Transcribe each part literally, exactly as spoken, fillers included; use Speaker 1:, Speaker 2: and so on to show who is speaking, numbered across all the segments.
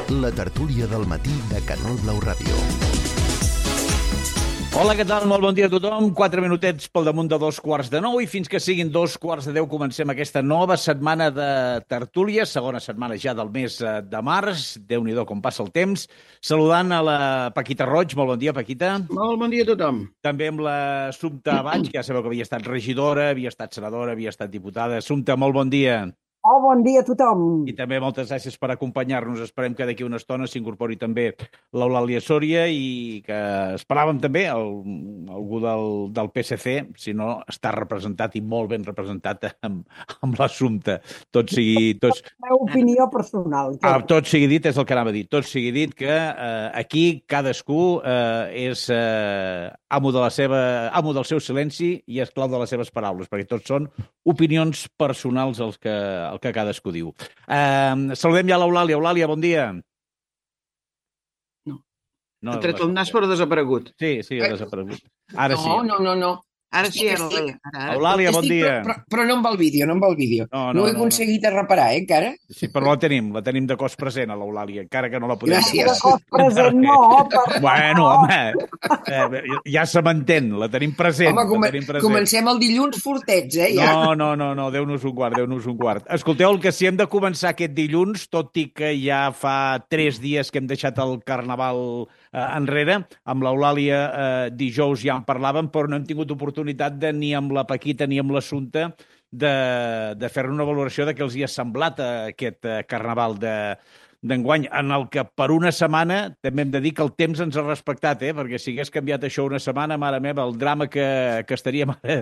Speaker 1: La tertúlia del matí de Canal Blau Ràdio.
Speaker 2: Hola, què tal? Molt bon dia a tothom. Quatre minutets pel damunt de dos quarts de nou i fins que siguin dos quarts de deu comencem aquesta nova setmana de tertúlia, segona setmana ja del mes de març. Déu-n'hi-do com passa el temps. Saludant a la Paquita Roig. Molt bon dia, Paquita.
Speaker 3: Molt bon dia a tothom.
Speaker 2: També amb la Assumpta Baig, que ja sabeu que havia estat regidora, havia estat senadora, havia estat diputada. Assumpta, molt bon dia.
Speaker 4: Oh, bon dia a tothom.
Speaker 2: I també moltes gràcies per acompanyar-nos. Esperem que d'aquí una estona s'incorpori també l'Eulàlia Sòria i que esperàvem també el, algú del, del P S C, si no està representat i molt ben representat amb, amb l'Assumpta. Tot sigui... Tots...
Speaker 4: La meva opinió personal.
Speaker 2: Ah, tot sigui dit, és el que anava a dir. Tot sigui dit que eh, aquí cadascú eh, és eh, amo, de la seva, amo del seu silenci i esclau de les seves paraules, perquè tots són opinions personals els que, el que cadascú diu. Eh, saludem ja l'Eulàlia. Eulàlia, bon dia.
Speaker 3: No.
Speaker 2: no
Speaker 3: ha tret el nas però ha desaparegut.
Speaker 2: Sí, sí, ha desaparegut. Ara
Speaker 5: no,
Speaker 2: sí.
Speaker 5: No, no, no.
Speaker 3: Ara sí, ara,
Speaker 5: Estic...
Speaker 3: ara, ara.
Speaker 2: Eulàlia, bon
Speaker 5: Estic,
Speaker 2: dia.
Speaker 5: Però, però, però no amb el vídeo, no amb el vídeo.
Speaker 2: No,
Speaker 5: No,
Speaker 2: no,
Speaker 5: no he
Speaker 2: no,
Speaker 5: aconseguit no. reparar, eh, encara.
Speaker 2: Sí, però la tenim, la tenim de cos present, a l'Eulàlia, encara que no la podem...
Speaker 5: Gràcies.
Speaker 4: De cos present, no. Per...
Speaker 2: Bueno, home, eh, ja se m'entén, la tenim present.
Speaker 5: Home, com...
Speaker 2: la tenim present.
Speaker 5: comencem el dilluns fortets, eh, ja.
Speaker 2: No, no, no, no, Déu-nos un quart, Déu-nos un quart. Escolteu, el que sí hem de començar aquest dilluns, tot i que ja fa tres dies que hem deixat el Carnaval eh, enrere, amb l'Eulàlia eh, dijous ja en parlàvem, però no hem tingut oportunitat de ni amb la Paquita ni amb l'Assumpta de, de fer una valoració de què els hi ha semblat aquest eh, Carnaval de d'enguany, en el que per una setmana també hem de dir que el temps ens ha respectat, eh? Perquè si hagués canviat això una setmana, mare meva, el drama que, que estaríem ara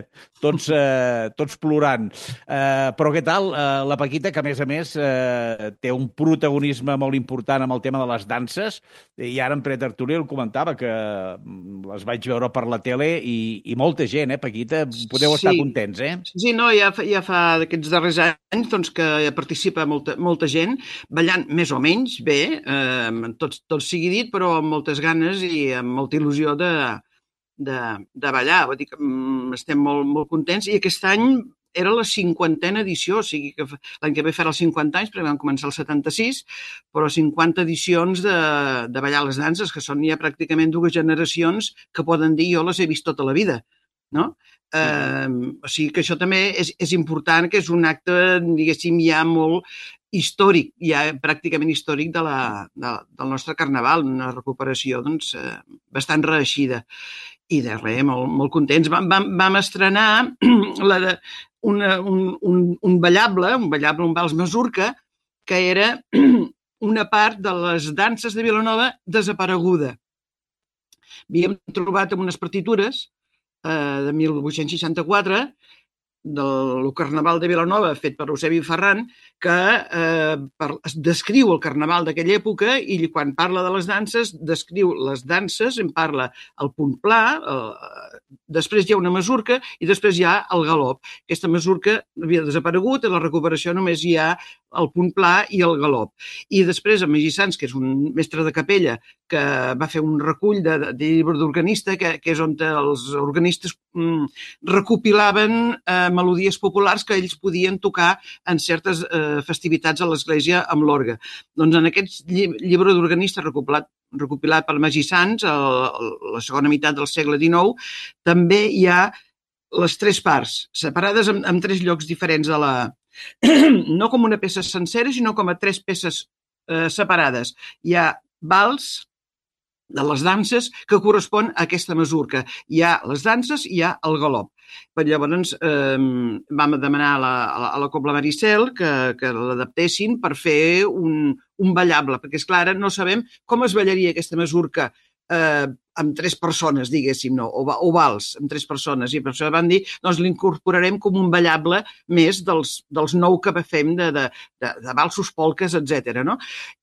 Speaker 2: tots, eh, tots plorant. Eh, però què tal? Eh, la Paquita, que a més a més eh, té un protagonisme molt important amb el tema de les danses, i ara en pretertúlia el comentava, que les vaig veure per la tele i, i molta gent, eh, Paquita? Podeu
Speaker 3: Sí.
Speaker 2: estar contents, eh?
Speaker 3: Sí, no, ja fa, ja fa d'aquests darrers anys doncs, que participa molta, molta gent, ballant més o menys bé, eh, tot, tot sigui dit, però amb moltes ganes i amb molta il·lusió de, de, de ballar. Vull dir que mm, estem molt, molt contents i aquest any era la cinquantena edició, o sigui que l'any que ve farà els cinquanta anys, perquè vam començar el setanta-sis, però cinquanta edicions de, de ballar les danses, que són ja pràcticament dues generacions que poden dir jo les he vist tota la vida, no? Eh, o sigui que això també és, és important, que és un acte, diguéssim, ja molt històric, ja pràcticament històric de la, de, del nostre Carnaval, una recuperació doncs, eh, bastant reeixida. I de res, molt, molt contents. Vam, vam, vam estrenar la de, una, un, un, un ballable, un ballable, un vals masurca, que era una part de les danses de Vilanova desapareguda. Havíem trobat en unes partitures de mil vuit-cents seixanta-quatre, del Carnaval de Vilanova, fet per Eusebi Ferran, que eh, per, descriu el Carnaval d'aquella època i quan parla de les danses, descriu les danses, en parla el punt pla, eh, després hi ha una masurca i després hi ha el galop. Aquesta masurca havia desaparegut, i la recuperació només hi ha el punt pla i el galop. I després en Magí Sans, que és un mestre de capella, que va fer un recull de, de, de llibre d'organista, que, que és on els organistes mm, recopilaven eh, melodies populars que ells podien tocar en certes eh, festivitats a l'església amb l'orgue. Doncs en aquest llibre d'organista recopilat, recopilat per Magí Sans, a la segona meitat del segle dinou, també hi ha les tres parts, separades en, en tres llocs diferents de la... no com una peça sencera, sinó com a tres peces eh, separades. Hi ha vals de les danses que correspon a aquesta masurca. Hi ha les danses i hi ha el galop. Però llavors eh, vam demanar a la, a la, a la Cobla Maricel que, que l'adaptessin per fer un, un ballable, perquè, és clar, no sabem com es ballaria aquesta masurca eh, amb tres persones, diguéssim, no? o, o vals amb tres persones, i per això van dir doncs l'incorporarem com un ballable més dels, dels nou que fem de, de, de, de valsos, polques, etcètera. No?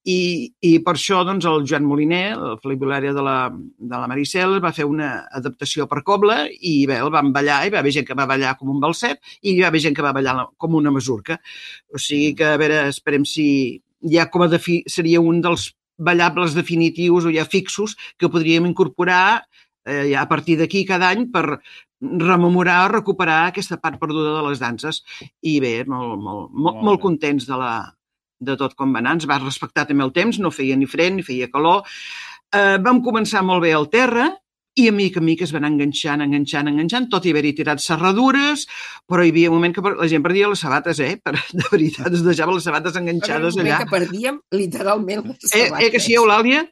Speaker 3: I, I per això doncs, el Joan Moliner, el flabiolària de la, de la Maricel, va fer una adaptació per cobla i bé, el van ballar, i va haver gent que va ballar com un balset i hi va haver gent que va ballar com una masurca. O sigui que, a veure, esperem si ja com a defi, seria un dels ballables definitius o ja fixos que podríem incorporar eh, ja a partir d'aquí cada any per rememorar o recuperar aquesta part perduda de les danses. I bé, molt, molt, molt, molt contents de la, de tot com va anar, ens va respectar també el temps, no feia ni fred ni feia calor. Eh, vam començar molt bé al terra i a mica a mica es van enganxant, enganxant, enganxant, tot i haver-hi tirat serradures, però hi havia un moment que la gent perdia les sabates, eh? Per, de veritat, es deixava les sabates enganxades allà.
Speaker 5: Que perdíem literalment les
Speaker 3: Eh,
Speaker 5: sabates.
Speaker 3: eh que sí, Eulàlia?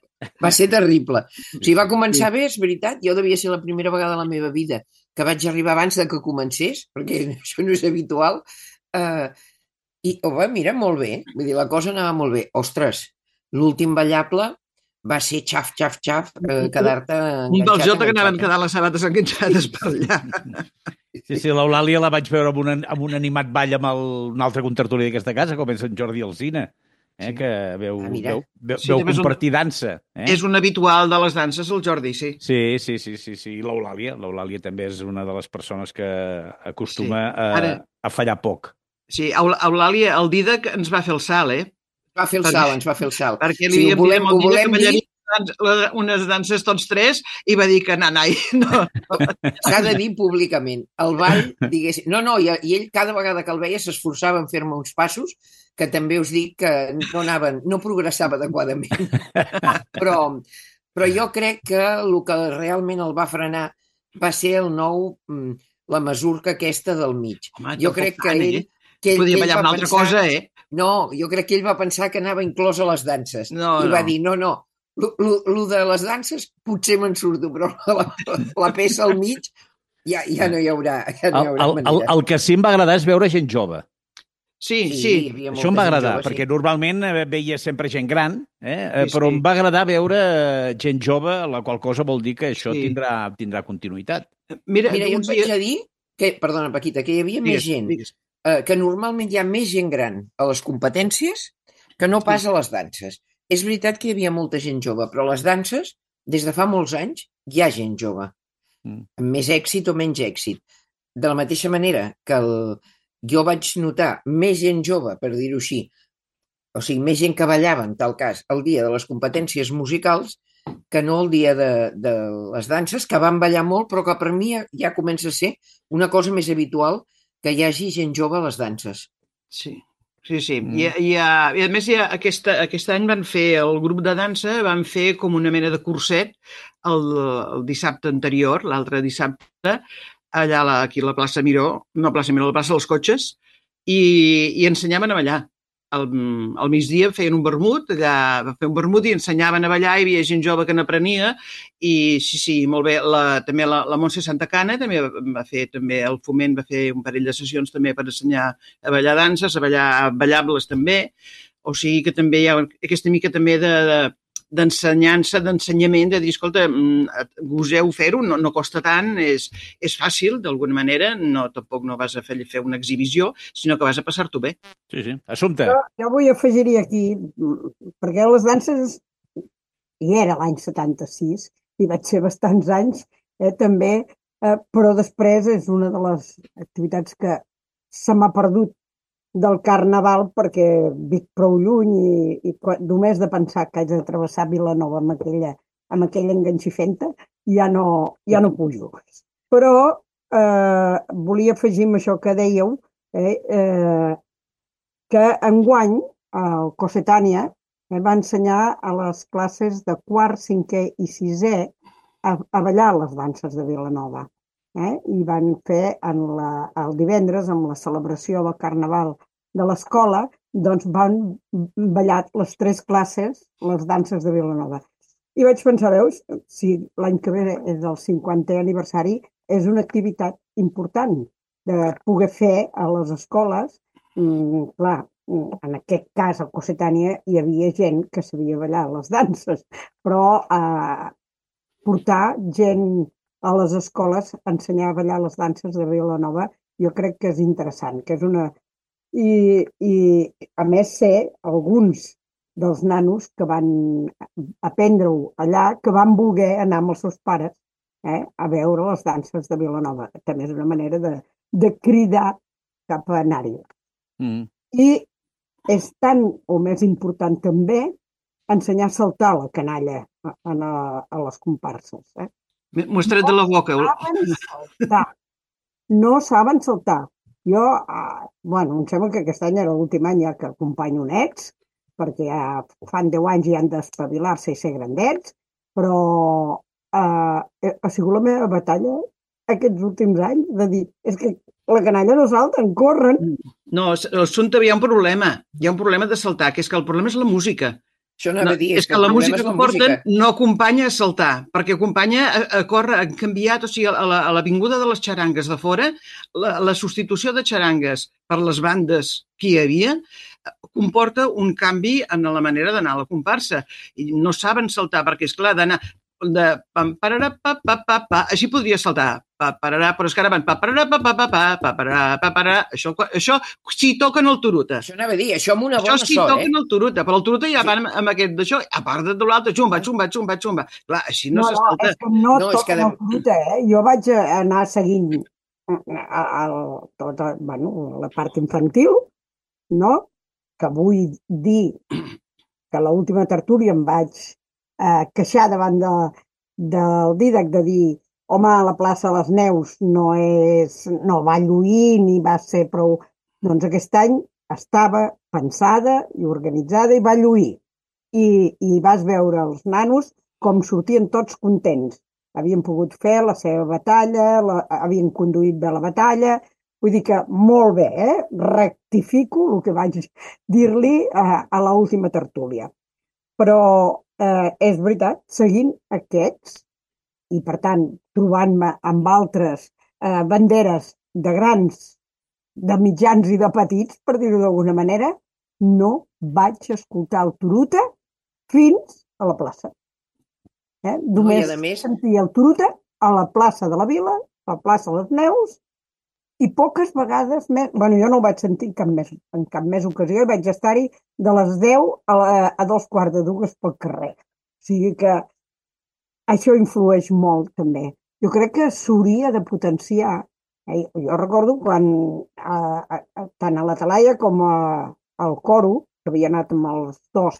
Speaker 5: Va ser terrible. O sigui, va començar bé, és veritat, jo devia ser la primera vegada a la meva vida que vaig arribar abans de que comencés, perquè això no és habitual, eh, i, home, mira, molt bé, vull dir, la cosa anava molt bé. Ostres, l'últim ballable va ser xaf, xaf, xaf, eh, quedar-te enganxat.
Speaker 3: Un del Jota que anaven
Speaker 5: enganxat.
Speaker 3: quedant les sabates enganxades per allà.
Speaker 2: Sí, sí, l'Eulàlia la vaig veure amb un, amb un animat ball amb el, un altre contertuli d'aquesta casa, com és en Jordi Alsina, eh,
Speaker 3: Sí.
Speaker 2: que veu,
Speaker 5: Ah, mira.
Speaker 2: veu, veu,
Speaker 3: Sí,
Speaker 2: veu
Speaker 3: també és un-
Speaker 2: compartir dansa. Eh?
Speaker 3: És un habitual de les danses, el Jordi, sí.
Speaker 2: Sí, sí, sí, sí, sí. I l'Eulàlia, l'Eulàlia també és una de les persones que acostuma
Speaker 3: Sí.
Speaker 2: a,
Speaker 3: Ara-
Speaker 2: a fallar poc.
Speaker 3: Sí, Eul- Eulàlia, el Didac ens va fer el salt, eh?
Speaker 5: Va fer el
Speaker 3: Perquè-
Speaker 5: salt, ens va fer el salt.
Speaker 3: Perquè li
Speaker 5: Sí, ho
Speaker 3: havíem
Speaker 5: volem,
Speaker 3: dit
Speaker 5: ho
Speaker 3: amb el Didac
Speaker 5: volem
Speaker 3: que
Speaker 5: dir,
Speaker 3: ballaríem dans- unes danses tots tres i va dir que nanai, no.
Speaker 5: s'ha de dir públicament. El ball, diguéssim... No, no, i, i ell cada vegada que el veia s'esforçava en fer-me uns passos que també us dic que no anaven, no progressava adequadament. Però, però jo crec que el que realment el va frenar va ser el nou, mm, la mesurca aquesta del mig.
Speaker 3: Home,
Speaker 5: Jo
Speaker 3: tampoc
Speaker 5: crec que
Speaker 3: tant,
Speaker 5: ell...
Speaker 3: eh?
Speaker 5: Que ell,
Speaker 3: Podia
Speaker 5: que ell
Speaker 3: ballar
Speaker 5: va
Speaker 3: una altra
Speaker 5: pensar-
Speaker 3: cosa, eh?
Speaker 5: No, jo crec que ell va pensar que anava inclòs a les danses.
Speaker 3: No,
Speaker 5: I va
Speaker 3: no.
Speaker 5: dir, no, no, lo, lo, lo de les danses potser me'n surto, però la, la peça al mig ja, ja no hi haurà, ja no hi
Speaker 2: El,
Speaker 5: haurà
Speaker 2: el, el,
Speaker 5: manera.
Speaker 2: el que sí em va agradar és veure gent jove.
Speaker 3: Sí,
Speaker 5: hi
Speaker 3: sí.
Speaker 5: havia
Speaker 2: Això em
Speaker 5: molta
Speaker 2: va
Speaker 5: gent
Speaker 2: agradar,
Speaker 5: jove,
Speaker 2: perquè
Speaker 5: sí.
Speaker 2: normalment eh, veia sempre gent gran, eh? eh,
Speaker 3: Sí,
Speaker 2: però
Speaker 3: sí.
Speaker 2: em va agradar veure eh, gent jove, la qual cosa vol dir que això
Speaker 3: Sí.
Speaker 2: tindrà, tindrà continuïtat.
Speaker 3: Mira,
Speaker 5: Mira, jo
Speaker 3: uns
Speaker 5: et vaig
Speaker 3: dies...
Speaker 5: a dir que, perdona, Paquita, que hi havia més
Speaker 3: Digues,
Speaker 5: gent,
Speaker 3: digues.
Speaker 5: eh, que normalment hi ha més gent gran a les competències que no pas a les danses. És veritat que hi havia molta gent jove, però a les danses, des de fa molts anys, hi ha gent jove,
Speaker 2: Mm.
Speaker 5: amb més èxit o menys èxit. De la mateixa manera que el, jo vaig notar més gent jove, per dir-ho així, o sigui, més gent que ballava, en tal cas, el dia de les competències musicals, que no el dia de, de les danses, que van ballar molt, però que per mi ja, ja comença a ser una cosa més habitual que hi hagi gent jove a les danses.
Speaker 3: Sí, sí, sí.
Speaker 2: Mm.
Speaker 3: I, i, uh, I a més, ja aquesta, aquest any van fer, el grup de dansa van fer com una mena de curset el, el dissabte anterior, l'altre dissabte, allà a la, aquí a la plaça Miró, no a plaça Miró, a la plaça dels Cotxes, i, i ensenyaven a ballar. Al, al migdia feien un vermut, allà va fer un vermut i ensenyaven a ballar, hi havia gent jove que n'aprenia i sí, sí, molt bé. La, també la, la Montse Santacana també va, va fer, també el Foment va fer un parell de sessions també per ensenyar a ballar danses, a ballar ballables també, o sigui que també hi ha aquesta mica també de, de d'ensenyança, d'ensenyament, de dir, escolta, goseu fer-ho, no, no costa tant, és, és fàcil, d'alguna manera, no, tampoc no vas a fer, fer una exhibició, sinó que vas a passar-t'ho bé.
Speaker 2: Sí, sí. Assumpte.
Speaker 4: Jo, jo vull afegir-hi aquí, mm, perquè les danses, i era l'any setanta-sis, i vaig ser bastants anys, eh, també, eh, però després és una de les activitats que se m'ha perdut del Carnaval perquè vic prou lluny i, i quan, només de pensar que haig de travessar Vilanova amb aquella, amb aquella enganxifenta ja no, ja no pujo. Però eh, volia afegir amb això que dèieu, eh, eh, que enguany el Cossetània eh, va ensenyar a les classes de quart, cinquè i sisè a, a ballar les danses de Vilanova. Eh? I van fer en la, el divendres, amb la celebració del Carnaval de l'escola, doncs van ballar les tres classes, les danses de Vilanova. I vaig pensar, veus, si l'any que ve és el cinquantè aniversari, és una activitat important de poder fer a les escoles. Mm, clar, en aquest cas, al Cossetània, hi havia gent que sabia ballar les danses, però eh, portar gent a les escoles a ensenyar a ballar les danses de Vilanova, jo crec que és interessant, que és una... I, i a més sé alguns dels nanos que van aprendre-ho allà, que van voler anar amb els seus pares eh, a veure les danses de Vilanova. També és una manera de, de cridar cap a anar-hi.
Speaker 2: Mm.
Speaker 4: I és tan o més important també ensenyar a saltar la canalla a, a, a les comparses. Eh?
Speaker 3: M'ho has tret de la boca.
Speaker 4: Saben saltar. No saben saltar. Jo, ah, bueno, em sembla que aquest any era l'últim any ja que acompanyo nets perquè ja fan deu anys i han d'espavilar-se i ser grandets, però eh, ha sigut la meva batalla aquests últims anys de dir, és que la canalla no salten, corren.
Speaker 3: No, l'assumpte, hi ha un problema, hi ha un problema de saltar, que és que el problema és la música.
Speaker 5: Això anava
Speaker 3: No,
Speaker 5: a dir,
Speaker 3: és que la música que porten no acompanya a saltar, perquè acompanya a, a córrer, han canviat, o sigui, a l'avinguda de les xarangues de fora, la, la substitució de xarangues per les bandes que hi havia comporta un canvi en la manera d'anar a la comparsa. I no saben saltar, perquè, és clar, d'anar de pam, pararà, pa, pa, pa, pa, així podria saltar, pa, pararà, però és que ara van pa, pararà, pa, pa, pa, pa, pa, pararà, pa, pararà, això, això sí toquen el turuta.
Speaker 5: Això anava a dir, això amb una bona
Speaker 3: Això sí
Speaker 5: sort,
Speaker 3: toquen
Speaker 5: eh?
Speaker 3: el turuta, però el turuta ja van amb aquest d'això, a part de l'altre, xumba, xumba, xumba, xumba. Clar, així no,
Speaker 4: No,
Speaker 3: se
Speaker 4: no,
Speaker 3: salta.
Speaker 4: és que no,
Speaker 5: No, és
Speaker 4: toquen
Speaker 5: que de-
Speaker 4: el turuta, eh? Jo vaig anar seguint a, a, tota, bueno, la part infantil, no? Que vull dir que a l'última tertúlia em vaig eh, queixar davant de, del Dídac de dir home, la plaça de les Neus no és, no va lluir ni va ser prou... Doncs aquest any estava pensada i organitzada i va lluir. I, i vas veure els nanos com sortien tots contents. Havien pogut fer la seva batalla, la, havien conduït bé la batalla, vull dir que molt bé, eh? Rectifico el que vaig dir-li a, a l'última tertúlia. Però eh, és veritat, seguint aquests, i per tant trobant-me amb altres eh, banderes de grans, de mitjans i de petits, per dir-ho d'alguna manera, no vaig escoltar el turuta fins a la plaça. Eh? Només
Speaker 5: No, més...
Speaker 4: sentia el turuta a la plaça de la Vila, a la plaça de les Neus, i poques vegades més... Bueno, jo no ho vaig sentir en cap més, en cap més ocasió, i vaig estar-hi de les deu a, la, a dos quarts de dues pel carrer. O sigui que això influeix molt, també. Jo crec que s'hauria de potenciar. Eh? Jo recordo quan, a, a, a, tant a la Talaia com a, al coro, que havia anat amb els dos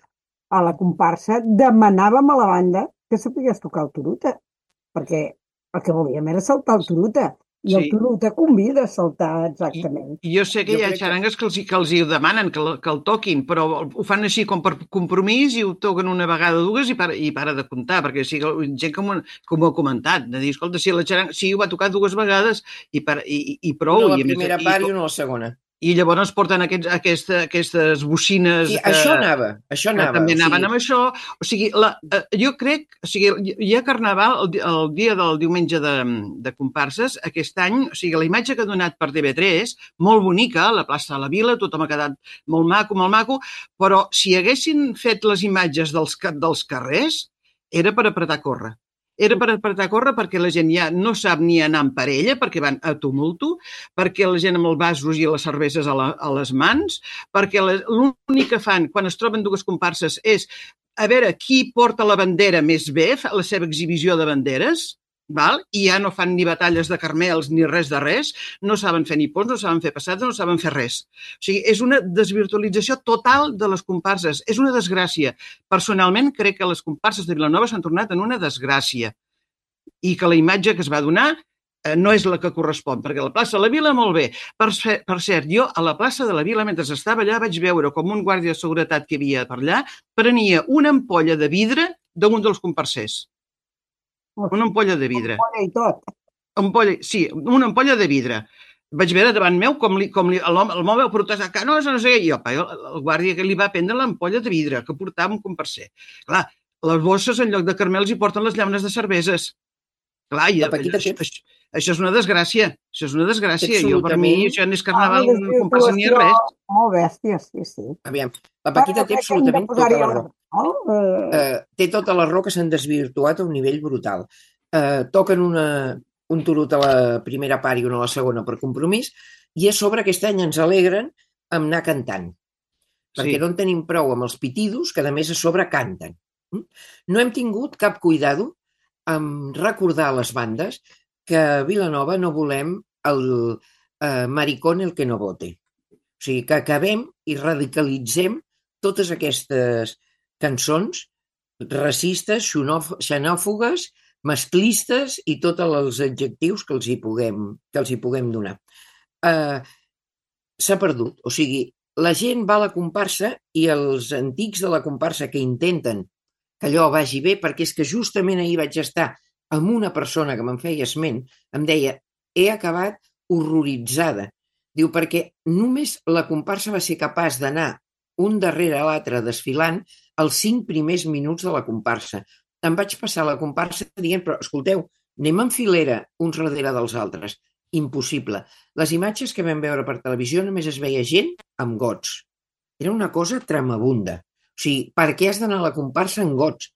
Speaker 4: a la comparsa, demanàvem a la banda que sapigués tocar el turuta, perquè el que volíem era saltar el turuta, i el
Speaker 3: Sí.
Speaker 4: turuta convida a saltar exactament.
Speaker 3: I jo sé que
Speaker 5: Jo
Speaker 3: hi ha
Speaker 5: crec que-
Speaker 3: xarangues que els, hi- que els hi demanen que, el- que el toquin, però ho fan així com per compromís i ho toquen una vegada o dues i para, i para de comptar, perquè sí, gent com, com ho ha comentat, de dir, escolta, si la xaranga, sí, ho va tocar dues vegades i, per, i, i, i prou.
Speaker 5: Una a la
Speaker 3: i a més,
Speaker 5: primera
Speaker 3: i-
Speaker 5: part i una a la segona.
Speaker 3: I llavors porten aquests, aquesta, aquestes bocines...
Speaker 5: Sí,
Speaker 3: que,
Speaker 5: això anava, això
Speaker 3: que
Speaker 5: anava.
Speaker 3: també
Speaker 5: o sigui,
Speaker 3: anaven amb això. O sigui, la, eh, jo crec... O sigui, hi ha carnaval el, di- el dia del diumenge de, de comparses. Aquest any, o sigui, la imatge que ha donat per T V tres, molt bonica, a la plaça de la Vila, tothom ha quedat molt maco, molt maco, però si haguessin fet les imatges dels, ca- dels carrers, era per apretar a córrer. Era per apretar a córrer perquè la gent ja no sap ni anar en parella, perquè van a tumulto, perquè la gent amb els vasos i les cerveses a, la, a les mans, perquè la- l'únic que fan quan es troben dues comparses és a veure qui porta la bandera més bé, fa la seva exhibició de banderes, val? I ja no fan ni batalles de carmels ni res de res, no saben fer ni ponts, no saben fer passades, no saben fer res. O sigui, és una desvirtualització total de les comparses, és una desgràcia. Personalment crec que les comparses de Vilanova s'han tornat en una desgràcia i que la imatge que es va donar eh, no és la que correspon, perquè a la plaça de la Vila molt bé. Per, ce- per cert, jo a la plaça de la Vila, mentre estava allà, vaig veure com un guàrdia de seguretat que hi havia per allà prenia una ampolla de vidre d'un dels comparsers. Una ampolla de vidre.
Speaker 4: Bona i tot.
Speaker 3: Ampolla, sí, una ampolla de vidre. Vaig veure davant meu com, li, com li, l'home el home va protestar que no, no sé què. I opa, el, el guàrdia que li va prendre l'ampolla de vidre que portava un comparser. Clar, les bosses en lloc de carmels hi porten les llaunes de cerveses. Clar, i,
Speaker 5: La Paquita
Speaker 3: això,
Speaker 5: té-
Speaker 3: això, això és una desgràcia. Això és una desgràcia. Jo, per mi,
Speaker 5: Absolutament.
Speaker 3: això no és carnaval,
Speaker 4: Ah,
Speaker 3: no comparsa ni res.
Speaker 4: Molt bèstia, sí, sí.
Speaker 5: Aviam, la Paquita té
Speaker 4: Bueno, crec que hem de
Speaker 5: absolutament tota
Speaker 4: posar-hi
Speaker 5: la
Speaker 4: ordre,
Speaker 5: raó.
Speaker 4: no? Eh,
Speaker 5: Eh, té tota la raó que s'han desvirtuat a un nivell brutal. Eh, toquen una, un turut a la primera part i una a la segona per compromís, i a sobre aquest any ens alegren amb anar cantant. Perquè
Speaker 3: Sí.
Speaker 5: no en tenim prou amb els pitidos, que a més a sobre canten. Mm? No hem tingut cap cuidado en recordar a les bandes que a Vilanova no volem el eh, maricón el que no vote. O sigui, que acabem i radicalitzem totes aquestes cançons racistes, xenòf- xenòfogues, masclistes i tots els adjectius que els hi puguem, que els hi puguem donar. Eh, S'ha perdut. O sigui, la gent va a la comparsa i els antics de la comparsa que intenten que allò vagi bé, perquè és que justament ahir vaig estar amb una persona que me'n feia esment, em deia, he acabat horroritzada. Diu, perquè només la comparsa va ser capaç d'anar un darrere l'altre desfilant els cinc primers minuts de la comparsa. Em vaig passar la comparsa dient, però escolteu, anem en filera uns darrere dels altres. Impossible. Les imatges que vam veure per televisió només es veia gent amb gots. Era una cosa tremabunda. O sigui, per què has d'anar a la comparsa amb gots?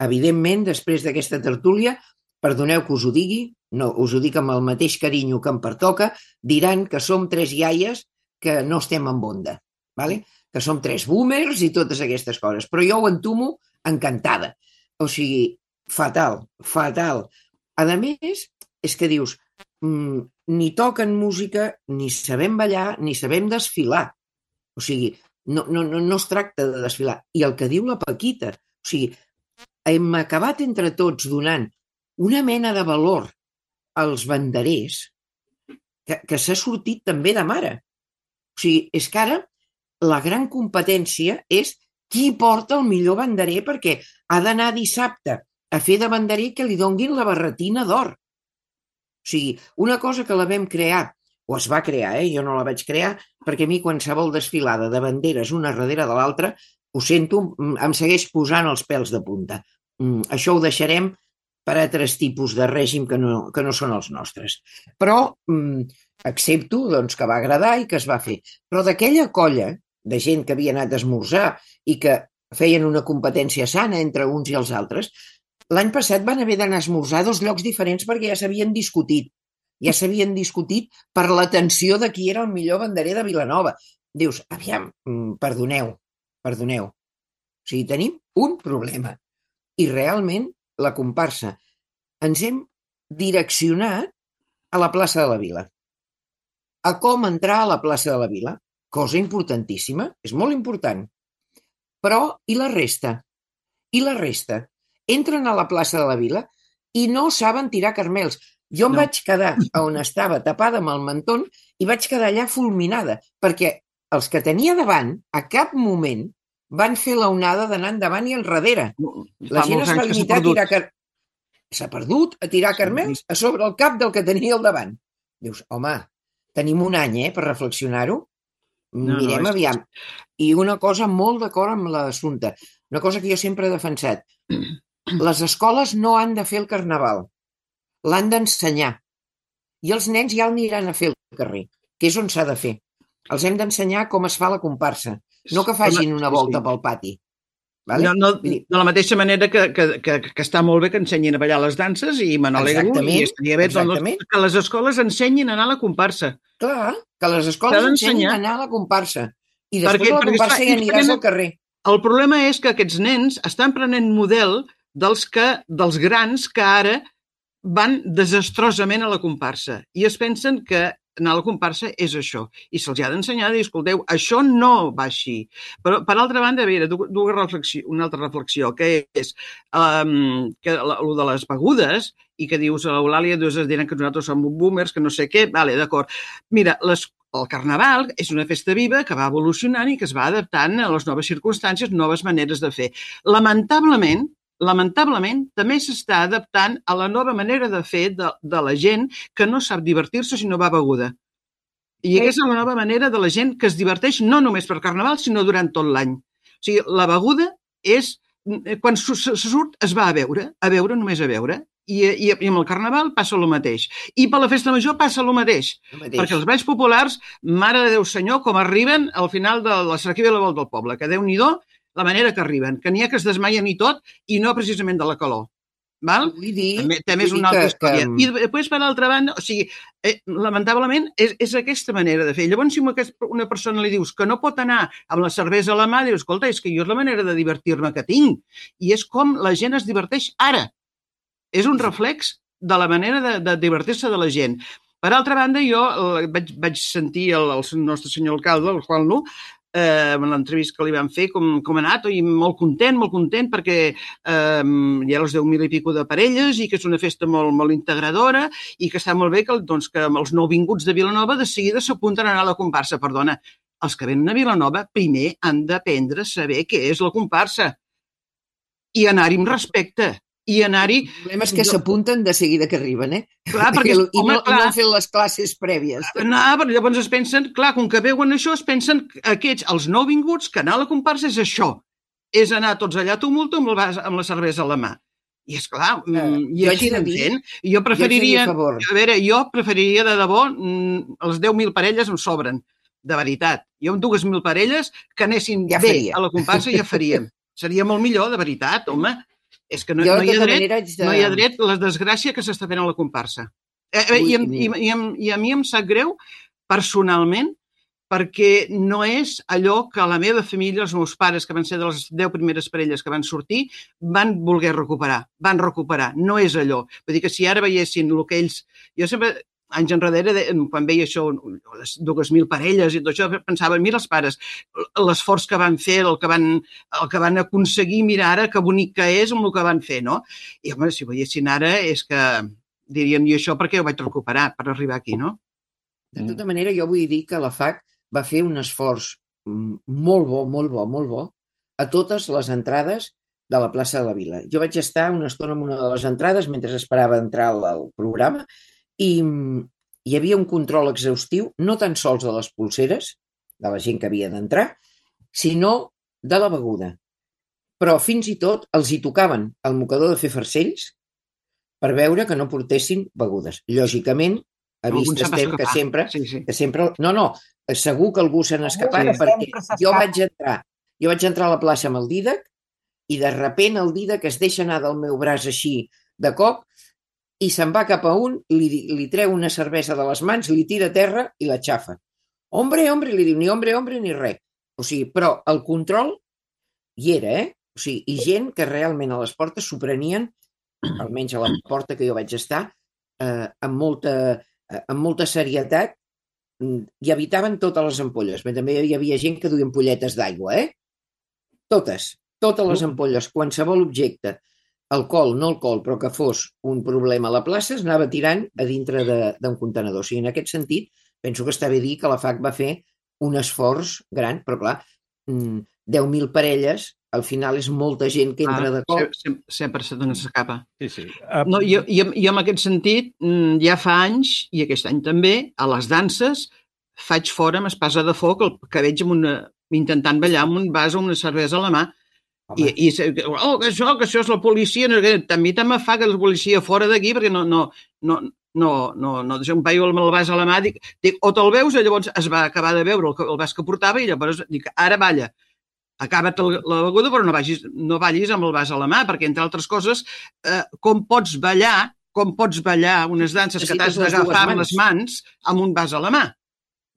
Speaker 5: Evidentment, després d'aquesta tertúlia, perdoneu que us ho digui, no, us ho dic amb el mateix carinyo que em pertoca, diran que som tres iaies que no estem en onda, ¿vale? Que som tres boomers i totes aquestes coses. Però jo ho entomo encantada. O sigui, fatal, fatal. A més, és que dius, mmm, ni toquen música, ni sabem ballar, ni sabem desfilar. O sigui, no, no, no, no es tracta de desfilar. I el que diu la Paquita, o sigui, hem acabat entre tots donant una mena de valor als banderers que, que s'ha sortit també de mare. O sigui, és que ara la gran competència és qui porta el millor banderer, perquè ha d'anar dissabte a fer de banderer que li donguin la barretina d'or. O sigui, una cosa que la vam crear, o es va crear, eh? Jo no la vaig crear, perquè a mi qualsevol desfilada de banderes una darrere de l'altra, ho sento, em segueix posant els pèls de punta. Això ho deixarem per a altres tipus de règim que no, que no són els nostres. Però mm, accepto doncs, que va agradar i que es va fer. Però d'aquella colla de gent que havia anat a esmorzar i que feien una competència sana entre uns i els altres, l'any passat van haver d'anar a esmorzar a dos llocs diferents perquè ja s'havien discutit. Ja s'havien discutit per l'atenció de qui era el millor banderer de Vilanova. Dius, aviam, perdoneu, perdoneu. O sigui, tenim un problema. I realment, la comparsa, ens hem direccionat a la plaça de la Vila. A com entrar a la plaça de la Vila. Cosa importantíssima, és molt important. Però, i la resta? I la resta? Entren a la plaça de la Vila i no saben tirar carmels. Jo em no. vaig quedar on estava tapada amb el mentón i vaig quedar allà fulminada, perquè els que tenia davant, a cap moment, van fer l'onada d'anar endavant i enrere. La gent es va limitar a tirar carmels. S'ha perdut a tirar carmels a sobre el cap del que tenia al davant. Dius, home, tenim un any eh, per reflexionar-ho. No, Mirem no, és... aviam. I una cosa molt d'acord amb l'assumpte, una cosa que jo sempre he defensat. Les escoles no han de fer el carnaval, l'han d'ensenyar. I els nens ja aniran a fer el carrer, que és on s'ha de fer. Els hem d'ensenyar com es fa la comparsa, no que facin una volta pel pati. Vale?
Speaker 3: No, no, de la mateixa manera que, que, que, que està molt bé que ensenyin a ballar les danses i me n'alegro i estaria bé doncs, que les escoles ensenyin a anar a la comparsa.
Speaker 5: Clar, que les escoles ensenyin a anar a la comparsa. I després perquè, de la comparsa ja aniràs al carrer.
Speaker 3: El problema és que aquests nens estan prenent model dels, que, dels grans que ara van desastrosament a la comparsa i es pensen que anar a la comparsa és això. I se'ls ha d'ensenyar i escolteu, això no va així. Però, per altra banda, a veure, dues reflexió, una altra reflexió, que és um, que el de les begudes i que dius a l'Eulàlia, es diran que nosaltres som boomers, que no sé què, vale, d'acord. Mira, les, el Carnaval és una festa viva que va evolucionant i que es va adaptant a les noves circumstàncies, noves maneres de fer. Lamentablement, lamentablement, també s'està adaptant a la nova manera de fer de, de la gent que no sap divertir-se si no va beguda. I aquesta és la nova manera de la gent que es diverteix no només per Carnaval, sinó durant tot l'any. O sigui, la beguda és... Quan se surt es va a beure, a beure, només a beure. I, i, i amb el Carnaval passa el mateix. I per la Festa Major passa el mateix. El mateix. Perquè els balls populars, mare de Déu senyor, com arriben al final de la Cerquilla i la Volta del Poble, que Déu-n'hi-do la manera que arriben, que n'hi ha que es desmaien i tot, i no precisament de la calor. Val?
Speaker 5: Vull dir,
Speaker 3: també, també és una altra
Speaker 5: que,
Speaker 3: història.
Speaker 5: que...
Speaker 3: I després, per l'altra banda, o sigui, eh, lamentablement, és, és aquesta manera de fer. Llavors, si una persona li dius que no pot anar amb la cervesa a la mà, dius, escolta, és que jo és la manera de divertir-me que tinc. I és com la gent es diverteix ara. És un reflex de la manera de, de divertir-se de la gent. Per altra banda, jo vaig, vaig sentir el, el nostre senyor alcalde, el Juan Lu, eh, en l'entrevista que li van fer, com, com ha anat, i molt content, molt content, perquè eh, hi ha els deu mil i pico de parelles i que és una festa molt, molt integradora i que està molt bé que, doncs, que els nouvinguts de Vilanova de seguida s'apunten a anar a la comparsa. Perdona, els que venen a Vilanova primer han d'aprendre a saber què és la comparsa i anar-hi amb respecte. I anar-hi...
Speaker 5: El problema és que s'apunten de seguida que arriben, eh?
Speaker 3: Clar, perquè,
Speaker 5: I,
Speaker 3: home,
Speaker 5: no,
Speaker 3: clar,
Speaker 5: no han fet les classes prèvies.
Speaker 3: No, però llavors es pensen, clar, com que veuen això, es pensen que aquests, els nouvinguts, que anar a la comparsa és això. És anar tots allà a tumulto amb, el, amb la cervesa a la mà. I és clar, uh, i
Speaker 5: jo
Speaker 3: així
Speaker 5: haig de
Speaker 3: anem
Speaker 5: dir-
Speaker 3: fent. Jo preferiria,
Speaker 5: jo haig de dir a favor.
Speaker 3: a veure, jo preferiria de debò, mm, els deu mil parelles em sobren, de veritat. Jo amb dues mil parelles que anessin
Speaker 5: Ja
Speaker 3: bé
Speaker 5: faria.
Speaker 3: a la comparsa ja faríem. Seria molt millor, de veritat, home. És que no,
Speaker 5: Jo,
Speaker 3: no,
Speaker 5: de
Speaker 3: hi ha
Speaker 5: tota
Speaker 3: dret,
Speaker 5: manera, haig de-
Speaker 3: no hi ha dret la desgràcia que s'està fent a la comparsa. Eh, eh, i, em, i, i, em, I a mi em sap greu, personalment, perquè no és allò que la meva família, els meus pares, que van ser de les deu primeres parelles que van sortir, van voler recuperar, van recuperar. No és allò. Vull dir que si ara veiessin el que ells... Jo sempre, anys enrere, de- quan veia això, les dues mil parelles i tot això, pensava, mira els pares, l'esforç que van fer, el que van, el que van aconseguir, mira ara que bonic que és amb el que van fer, no? I, home, si ho veiessin ara, és que diríem, i això perquè ho vaig recuperar per arribar aquí, no?
Speaker 5: De tota manera, jo vull dir que la F A C va fer un esforç mm, molt bo, molt bo, molt bo a totes les entrades de la plaça de la Vila. Jo vaig estar una estona en una de les entrades mentre esperava entrar al, al programa i mm, hi havia un control exhaustiu, no tan sols de les pulseres, de la gent que havia d'entrar, sinó de la beguda. Però fins i tot els hi tocaven el mocador de fer farcells per veure que no portessin begudes. Lògicament, a
Speaker 3: Algun
Speaker 5: vista
Speaker 3: se'n va
Speaker 5: estem que
Speaker 3: escapar.
Speaker 5: sempre,
Speaker 3: Sí, sí.
Speaker 5: que sempre... No, no, segur que algú se n'ha escapat
Speaker 4: Sí.
Speaker 5: perquè
Speaker 4: Sempre s'escapa.
Speaker 5: jo vaig entrar jo vaig entrar a la plaça amb el Dídac i de repent el Dídac es deixa anar del meu braç així de cop i se'n va cap a un, li, li treu una cervesa de les mans, li tira a terra i la xafa. Hombre, hombre, li diu, ni hombre, hombre, ni res. O sigui, però el control hi era, eh? O sigui, i gent que realment a les portes s'ho prenien, almenys a la porta que jo vaig estar, eh, amb, molta, eh, amb molta serietat mm, i evitaven totes les ampolles. Però també hi havia gent que duia ampolletes d'aigua, eh? Totes, totes les ampolles, qualsevol objecte, alcohol, no alcohol, però que fos un problema a la plaça, es anava tirant a dintre de- d'un contenedor. O sigui, en aquest sentit, penso que està bé dir que la F A C va fer un esforç gran, però clar, mm, deu mil parelles, al final és molta gent que entra de cop.
Speaker 3: Sempre, sempre se te n'escapa.
Speaker 2: Sí, sí. Uh,
Speaker 3: No, jo, jo, jo en aquest sentit, mm, ja fa anys, i aquest any també, a les danses, faig fora amb espasa de foc el que veig amb una, intentant ballar amb un vas o una cervesa a la mà. I,
Speaker 5: Home,
Speaker 3: i se- oh, que això, que això és la policia, no, que també també fa que la policia fora d'aquí, perquè no, no, no, no, no, no deixa un paio amb el vas a la mà, dic, dic o te'l veus, i llavors es va acabar de veure el, que- el vas que portava, i llavors dic, ara balla, acaba't el- la beguda, però no, vagis, no ballis amb el vas a la mà, perquè, entre altres coses, eh, com pots ballar, com pots ballar unes danses que t'has
Speaker 5: Necessites les dues
Speaker 3: d'agafar amb
Speaker 5: mans.
Speaker 3: les mans amb un vas a la mà.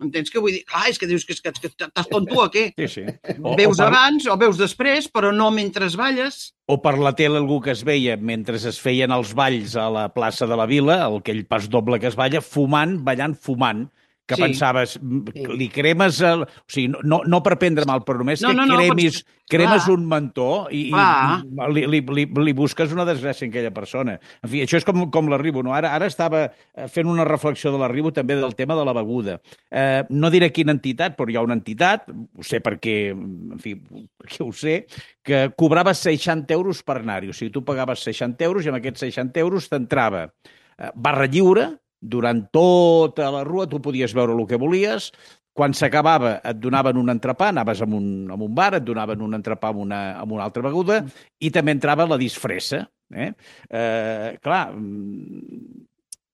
Speaker 3: Entens què vull dir? Clar, és que dius que, que, que estàs tonto o què?
Speaker 2: sí, sí. O,
Speaker 3: Veus
Speaker 2: o, per,
Speaker 3: abans o veus després, però no mentre balles.
Speaker 2: o per la tele algú que es veia mentre es feien els balls a la plaça de la Vila, aquell pas doble que es balla, fumant, ballant, fumant, que
Speaker 3: Sí.
Speaker 2: pensaves, mm,
Speaker 5: Sí.
Speaker 2: li cremes... El, o sigui, no- no, no per prendre mal, però només
Speaker 3: No,
Speaker 2: que
Speaker 3: no, no,
Speaker 2: cremis,
Speaker 3: pots-
Speaker 2: cremes
Speaker 3: clar.
Speaker 2: un mentó i, i
Speaker 3: Clar.
Speaker 2: li, li, li, li busques una desgràcia en aquella persona. En fi, això és com, com l'arribo, no? Ara, ara estava eh, fent una reflexió de l'arribo també del tema de la beguda. Eh, no diré quina entitat, però hi ha una entitat, ho sé perquè, en fi, perquè ho sé, que cobrava seixanta euros per anar-hi. O sigui, tu pagaves seixanta euros i amb aquests seixanta euros t'entrava eh, barra lliure, durant tota la rua tu podies veure el que volies, quan s'acabava et donaven un entrepà, anaves a un, a un bar, et donaven un entrepà amb una, amb una altra beguda, i també entrava la disfressa. Eh? Eh, clar, mm,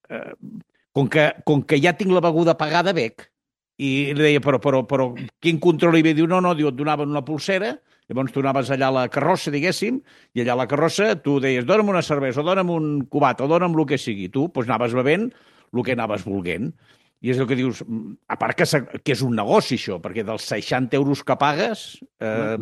Speaker 2: eh, com, que, com que ja tinc la beguda pagada, bec. I li deia, però, però, però quin control hi havia? Diu, no, no, diu, et donaven una pulsera, llavors tu anaves allà a la carrossa, diguéssim, i allà a la carrossa tu deies, dona'm una cervesa, o dona'm un cubat, o dona'm el que sigui. Tu doncs, anaves bevent el que anaves volent. I és el que dius, a part que, que és un negoci això, perquè dels seixanta euros que pagues, eh,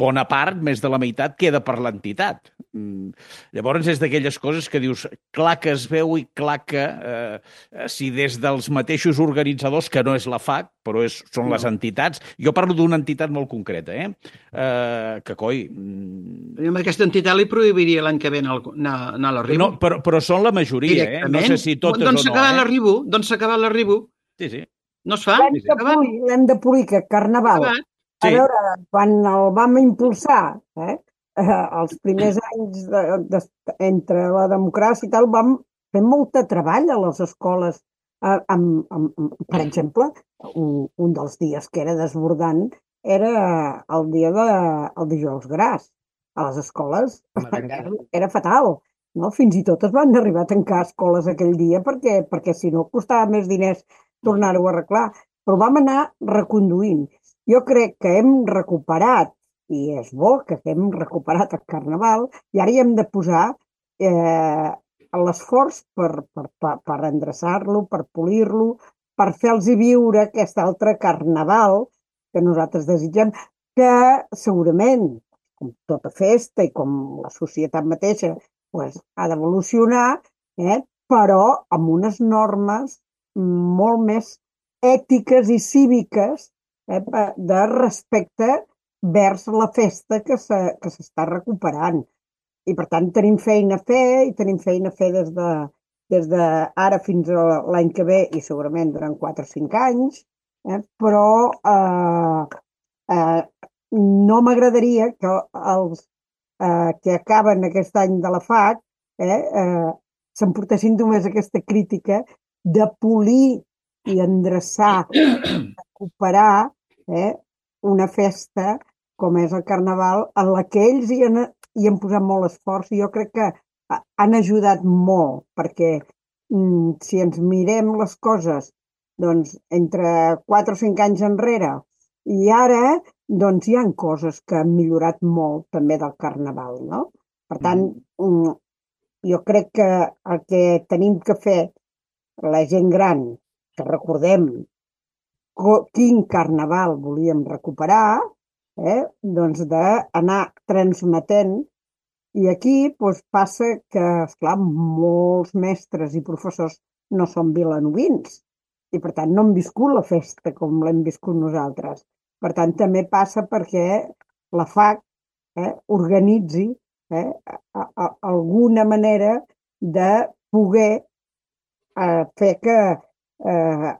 Speaker 2: bona part, més de la meitat, queda per l'entitat. Mm. Llavors és d'aquelles coses que dius, clar que es veu i clar que eh, si des dels mateixos organitzadors, que no és la F A C, però és, són les entitats, jo parlo d'una entitat molt concreta, eh? Eh, que coi... mm,
Speaker 3: Jo amb aquesta entitat li prohibiria l'any que ve anar, al- anar, anar a l'arribo.
Speaker 2: No, però, però són la majoria, eh? No sé si totes
Speaker 3: doncs
Speaker 2: o no.
Speaker 3: s'acaba
Speaker 2: Eh?
Speaker 3: l'arribo, doncs s'acaba l'arribo.
Speaker 2: Sí, sí.
Speaker 3: No es fa?
Speaker 4: L'hem de polir, l'hem de polir, que Carnaval,
Speaker 3: Acabat.
Speaker 4: a
Speaker 2: Sí.
Speaker 4: veure, quan el vam impulsar, eh, eh, els primers anys de, de, entre la democràcia i tal, vam fer molt de treball a les escoles. Eh, amb, amb, amb, per exemple, un, un dels dies que era desbordant era el dia de, el dijous gras. A les escoles
Speaker 5: Merengada.
Speaker 4: era fatal. No? Fins i tot es van arribar a tancar escoles aquell dia perquè, perquè si no costava més diners tornar-ho a arreglar. Però vam anar reconduint. Jo crec que hem recuperat, i és bo que hem recuperat el Carnaval, i ara hi hem de posar eh, l'esforç per, per, per, per endreçar-lo, per polir-lo, per fer-los viure aquest altre Carnaval que nosaltres desitgem, que segurament, com tota festa i com la societat mateixa, pues, ha d'evolucionar, eh, però amb unes normes molt més ètiques i cíviques, eh, de respecte vers la festa que se, que s'està recuperant. I, per tant, tenim feina a fer, i tenim feina a fer des de, des de ara fins a l'any que ve, i segurament durant quatre o cinc anys, eh, però eh, eh, no m'agradaria que els eh, que acaben aquest any de la F A C eh, eh, s'emportessin només aquesta crítica de polir i endreçar, recuperar eh, una festa com és el Carnaval, en la que ells hi han, hi han posat molt esforç, i jo crec que han ajudat molt, perquè mm, si ens mirem les coses doncs, entre quatre o cinc anys enrere i ara, doncs hi ha coses que han millorat molt també del Carnaval, no? Per tant, mm, jo crec que el que tenim que fer la gent gran, que recordem quin Carnaval volíem recuperar, eh, doncs d'anar transmetent. I aquí doncs, passa que, esclar, molts mestres i professors no són vilanovins i, per tant, no han viscut la festa com l'hem viscut nosaltres. Per tant, també passa perquè la F A C eh, organitzi eh, a, a, alguna manera de poder eh, fer que eh,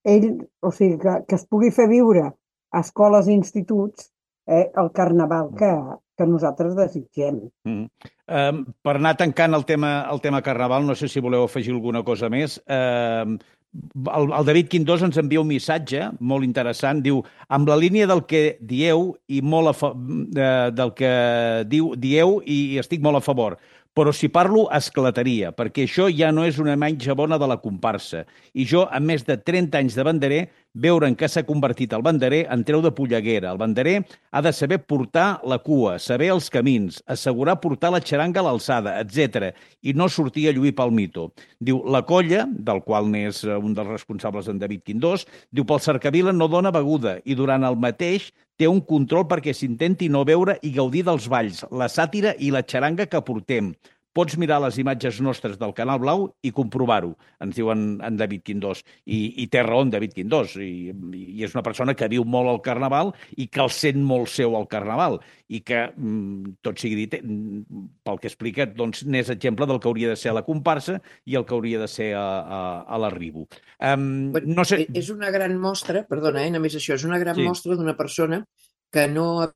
Speaker 4: ell, o sigui, que, que es pugui fer viure a escoles i instituts eh, el Carnaval que, que nosaltres desitgem.
Speaker 2: Mm. Um, per anar tancant el tema, el tema Carnaval, no sé si voleu afegir alguna cosa més. Um, el, el David Quindós ens envia un missatge molt interessant. Diu, amb la línia del que dieu i molt a fa, uh, del que diu, dieu i, i estic molt a favor. Però si parlo, esclataria, perquè això ja no és una imatge bona de la comparsa. I jo, amb més de trenta anys de banderer, veure en què s'ha convertit el banderer en treu de polleguera. El banderer ha de saber portar la cua, saber els camins, assegurar portar la xaranga a l'alçada, etcètera, i no sortir a lluir pel mito. Diu, la colla, del qual n'és un dels responsables en David Quindós, diu, pel cercavila no dona beguda i durant el mateix té un control perquè s'intenti no veure i gaudir dels balls, la sàtira i la xaranga que portem. Pots mirar les imatges nostres del Canal Blau i comprovar-ho, ens diu en, en David Quindós. I, i té raó en David Quindós. I, I és una persona que viu molt al Carnaval i que el sent molt seu al Carnaval. I que, tot sigui dit, pel que explica, doncs, n'és exemple del que hauria de ser a la comparsa i el que hauria de ser a, a, a l'arribo. Um,
Speaker 5: bueno,
Speaker 2: no sé...
Speaker 5: És una gran mostra, perdona, eh, només això, és una gran
Speaker 2: sí.
Speaker 5: mostra d'una persona que no ha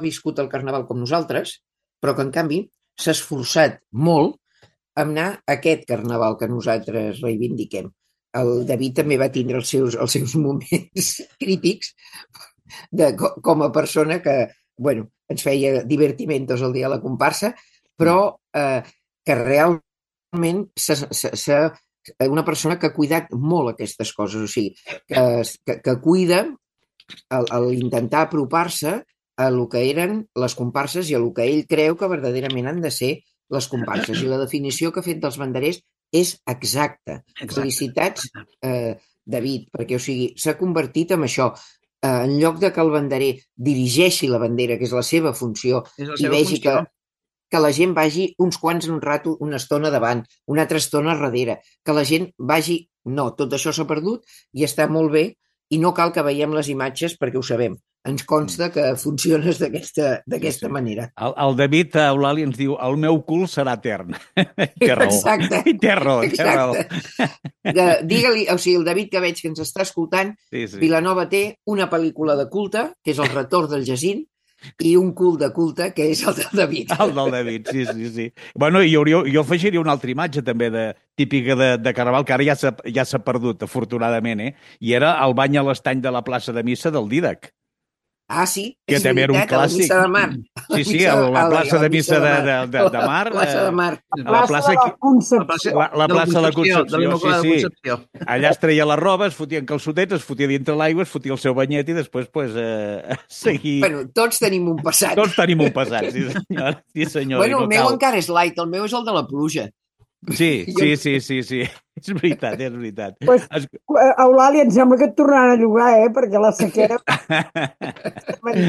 Speaker 5: viscut el Carnaval com nosaltres, però que, en canvi, s'ha esforçat molt a anar a aquest Carnaval que nosaltres reivindiquem. El David també va tindre els seus, els seus moments crítics de, com a persona que, bueno, ens feia divertimentos el dia de la comparsa, però eh, que realment és una persona que ha cuidat molt aquestes coses, o sigui, que, que, que cuida l'intentar apropar-se a lo que eren les comparses i a lo que ell creu que verdaderament han de ser les comparses. I la definició que ha fet dels banderers és exacta. Exacte. Felicitats, eh, David, perquè o sigui, s'ha convertit en això. Eh, en lloc de que el banderer dirigeixi la bandera, que és la seva funció,
Speaker 3: és la
Speaker 5: i
Speaker 3: seva
Speaker 5: vegi
Speaker 3: funció.
Speaker 5: que, que la gent vagi uns quants en un rato, una estona davant, una altra estona darrere, que la gent vagi... No, tot això s'ha perdut i està molt bé, i no cal que veiem les imatges perquè ho sabem. ens consta que funciones d'aquesta d'aquesta
Speaker 2: Sí, sí.
Speaker 5: manera.
Speaker 2: El, el David Eulàlia ens diu el meu cul serà etern. Té raó.
Speaker 5: Exacte.
Speaker 2: I té raó, té raó.
Speaker 5: Exacte. De- Digue-li, o sigui, el David que veig que ens està escoltant,
Speaker 2: Sí, sí.
Speaker 5: Vilanova té una pel·lícula de culte, que és El retorn del Jacint, i un cul de culte, que és el del David.
Speaker 2: El del David, sí, sí, sí. Bueno, i hauria, jo afegiria una altra imatge també de, típica de, de Carnaval, que ara ja s'ha ja s'ha perdut, afortunadament, eh? I era el bany a l'estany de la plaça de Missa del Dídac,
Speaker 5: Ah, sí,
Speaker 2: que
Speaker 5: és
Speaker 2: també era un
Speaker 5: veritat, a la
Speaker 2: clàssic.
Speaker 5: missa de mar.
Speaker 2: Sí, sí, a la plaça de Missa de, de, de, de Mar.
Speaker 5: La plaça de
Speaker 2: eh,
Speaker 5: mar.
Speaker 2: A la plaça
Speaker 4: de la
Speaker 2: aquí-
Speaker 4: Concepció.
Speaker 2: La, la
Speaker 3: de
Speaker 2: plaça de la
Speaker 3: de
Speaker 2: Concepció,
Speaker 3: l'Immaculada
Speaker 2: sí, sí.
Speaker 3: Concepció.
Speaker 2: Allà es treia la roba, es fotien calçotets, es fotia dintre l'aigua, es fotia el seu banyet i després, pues, eh, seguir...
Speaker 5: Bueno, tots tenim un passat.
Speaker 2: Tots tenim un passat, sí senyor. Sí senyor,
Speaker 5: Bueno,
Speaker 2: i no
Speaker 5: el meu
Speaker 2: cal.
Speaker 5: encara és light, el meu és el de la pluja.
Speaker 2: Sí,
Speaker 5: Jo-
Speaker 2: sí, sí, sí, sí. És veritat, és veritat.
Speaker 4: Pues,
Speaker 2: Es...
Speaker 4: eh, Eulàlia, em sembla que et tornaran a llogar, eh? Perquè la sequera...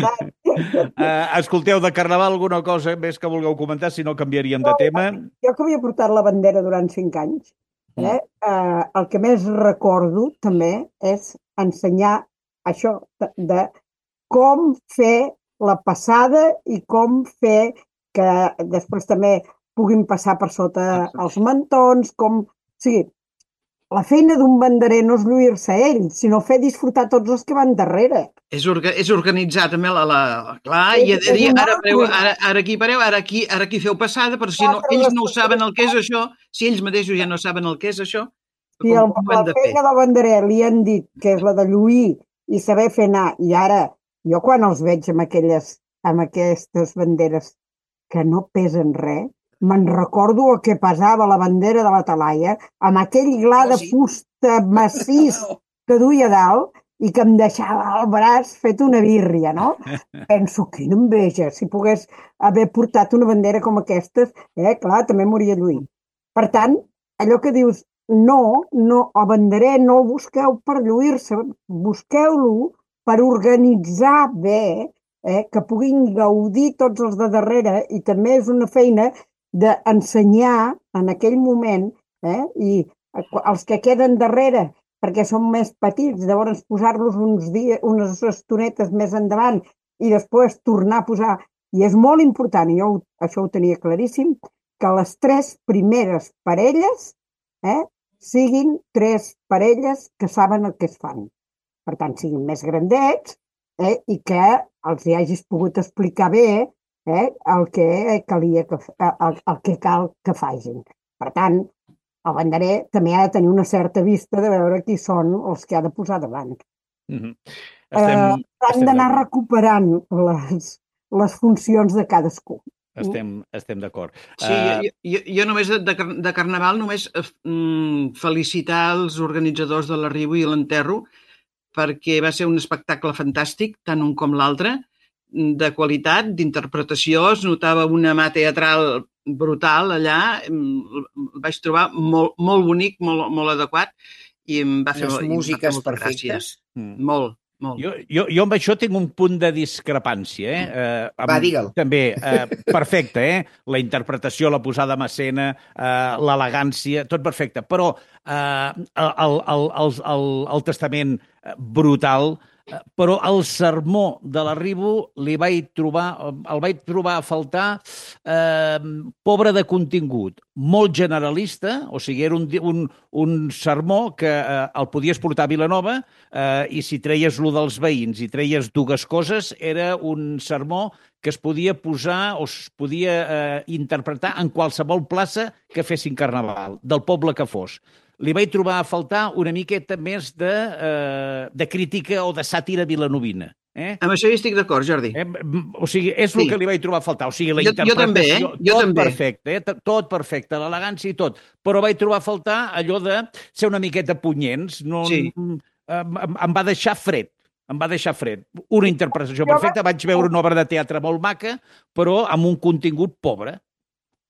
Speaker 2: Uh, escolteu, de Carnaval alguna cosa més que vulgueu comentar, si no canviaríem de tema.
Speaker 4: Jo que havia portat la bandera durant cinc anys, eh? Eh, el que més recordo també és ensenyar això de, de com fer la passada i com fer que després també puguin passar per sota els mantons, com... O sigui, la feina d'un banderer no és lluir-se a ell, sinó fer disfrutar tots els que van darrere.
Speaker 3: És, orga, és organitzar també la... la clar,
Speaker 4: És-
Speaker 3: i ha de
Speaker 4: és
Speaker 3: dir,
Speaker 4: un
Speaker 3: ara, pareu,
Speaker 4: altre.
Speaker 3: ara, ara aquí pareu, ara aquí, ara aquí feu passada, però si no,
Speaker 4: Altre
Speaker 3: ells no ho saben el que és això, si ells mateixos ja no saben el que és això,
Speaker 4: Si
Speaker 3: com,
Speaker 4: el,
Speaker 3: com ho
Speaker 4: la
Speaker 3: hem de fer?
Speaker 4: feina del banderer li han dit que és la de lluir i saber fer anar, i ara jo quan els veig amb, aquelles, amb aquestes banderes que no pesen res, me'n recordo el que pesava la bandera de la Talaia amb aquell gla
Speaker 5: Oh,
Speaker 4: de
Speaker 5: sí.
Speaker 4: fusta massís que duia a dalt i que em deixava el braç fet una birria, no? Penso, quina enveja, si pogués haver portat una bandera com aquestes, eh, clar, també moria lluir. Per tant, allò que dius, no, no, el banderer no el busqueu per lluir-se, busqueu-lo per organitzar bé, eh, que puguin gaudir tots els de darrere, i també és una feina d'ensenyar en aquell moment, eh, i els que queden darrere, perquè són més petits, llavors posar-los uns dies, unes estonetes més endavant i després tornar a posar. I és molt important, i jo ho- això ho tenia claríssim, que les tres primeres parelles eh, siguin tres parelles que saben el que es fan. Per tant, siguin més grandets eh, i que els hi hagis pogut explicar bé eh, el, que calia que, el, el que cal que facin. Per tant, el banderer també ha de tenir una certa vista de veure qui són els que ha de posar davant.
Speaker 2: Mhm.
Speaker 4: Eh,
Speaker 2: Estem,
Speaker 4: han
Speaker 2: estem
Speaker 4: d'anar
Speaker 2: d'acord.
Speaker 4: recuperant les, les funcions de cadascú.
Speaker 2: Estem, estem d'acord.
Speaker 3: Sí,
Speaker 2: Eh,
Speaker 3: jo, jo, jo només de, de, car- de Carnaval només eh, mm, felicitar els organitzadors de l'arribo i l'enterro perquè va ser un espectacle fantàstic, tant un com l'altre, de qualitat, d'interpretació, es notava una mà teatral brutal allà, mm, el vaig trobar molt, molt bonic, molt, molt adequat, i em va fer,
Speaker 5: Unes
Speaker 3: i em va fer
Speaker 5: músiques
Speaker 3: molta
Speaker 5: perfectes.
Speaker 3: gràcia.
Speaker 2: mm.
Speaker 3: Molt, molt.
Speaker 2: Jo, jo, jo amb això tinc un punt de discrepància. Eh? Eh, amb,
Speaker 5: Va, digue'l.
Speaker 2: També, eh, perfecte, eh? La interpretació, la posada en escena, eh, l'elegància, tot perfecte. Però eh, el, el, el, el, el testament eh, brutal, eh, però el sermó de l'arribo li vaig trobar, el vaig trobar a faltar eh, pobre de contingut, molt generalista, o sigui, era un, un, un sermó que eh, el podies portar a Vilanova eh, i si treies lo dels veïns i treies dues coses, era un sermó que es podia posar o es podia eh, interpretar en qualsevol plaça que fessin Carnaval, del poble que fos. Li vaig trobar a faltar una miqueta més de, eh, de crítica o de sàtira vilanovina. Eh?
Speaker 3: Amb això hi estic d'acord, Jordi.
Speaker 2: Eh, o sigui, és el
Speaker 3: Sí.
Speaker 2: que li vaig trobar a faltar. O sigui, la
Speaker 3: Jo- jo
Speaker 2: interpretació,
Speaker 3: també, eh? Jo
Speaker 2: tot
Speaker 3: també.
Speaker 2: perfecte, eh? T- tot perfecte, l'elegància i tot. Però vaig trobar a faltar allò de ser una miqueta punyents. No,
Speaker 3: Sí.
Speaker 2: em, em, em va deixar fred. Em va deixar fred. Una interpretació perfecta. Vaig veure una obra de teatre molt maca, però amb un contingut pobre.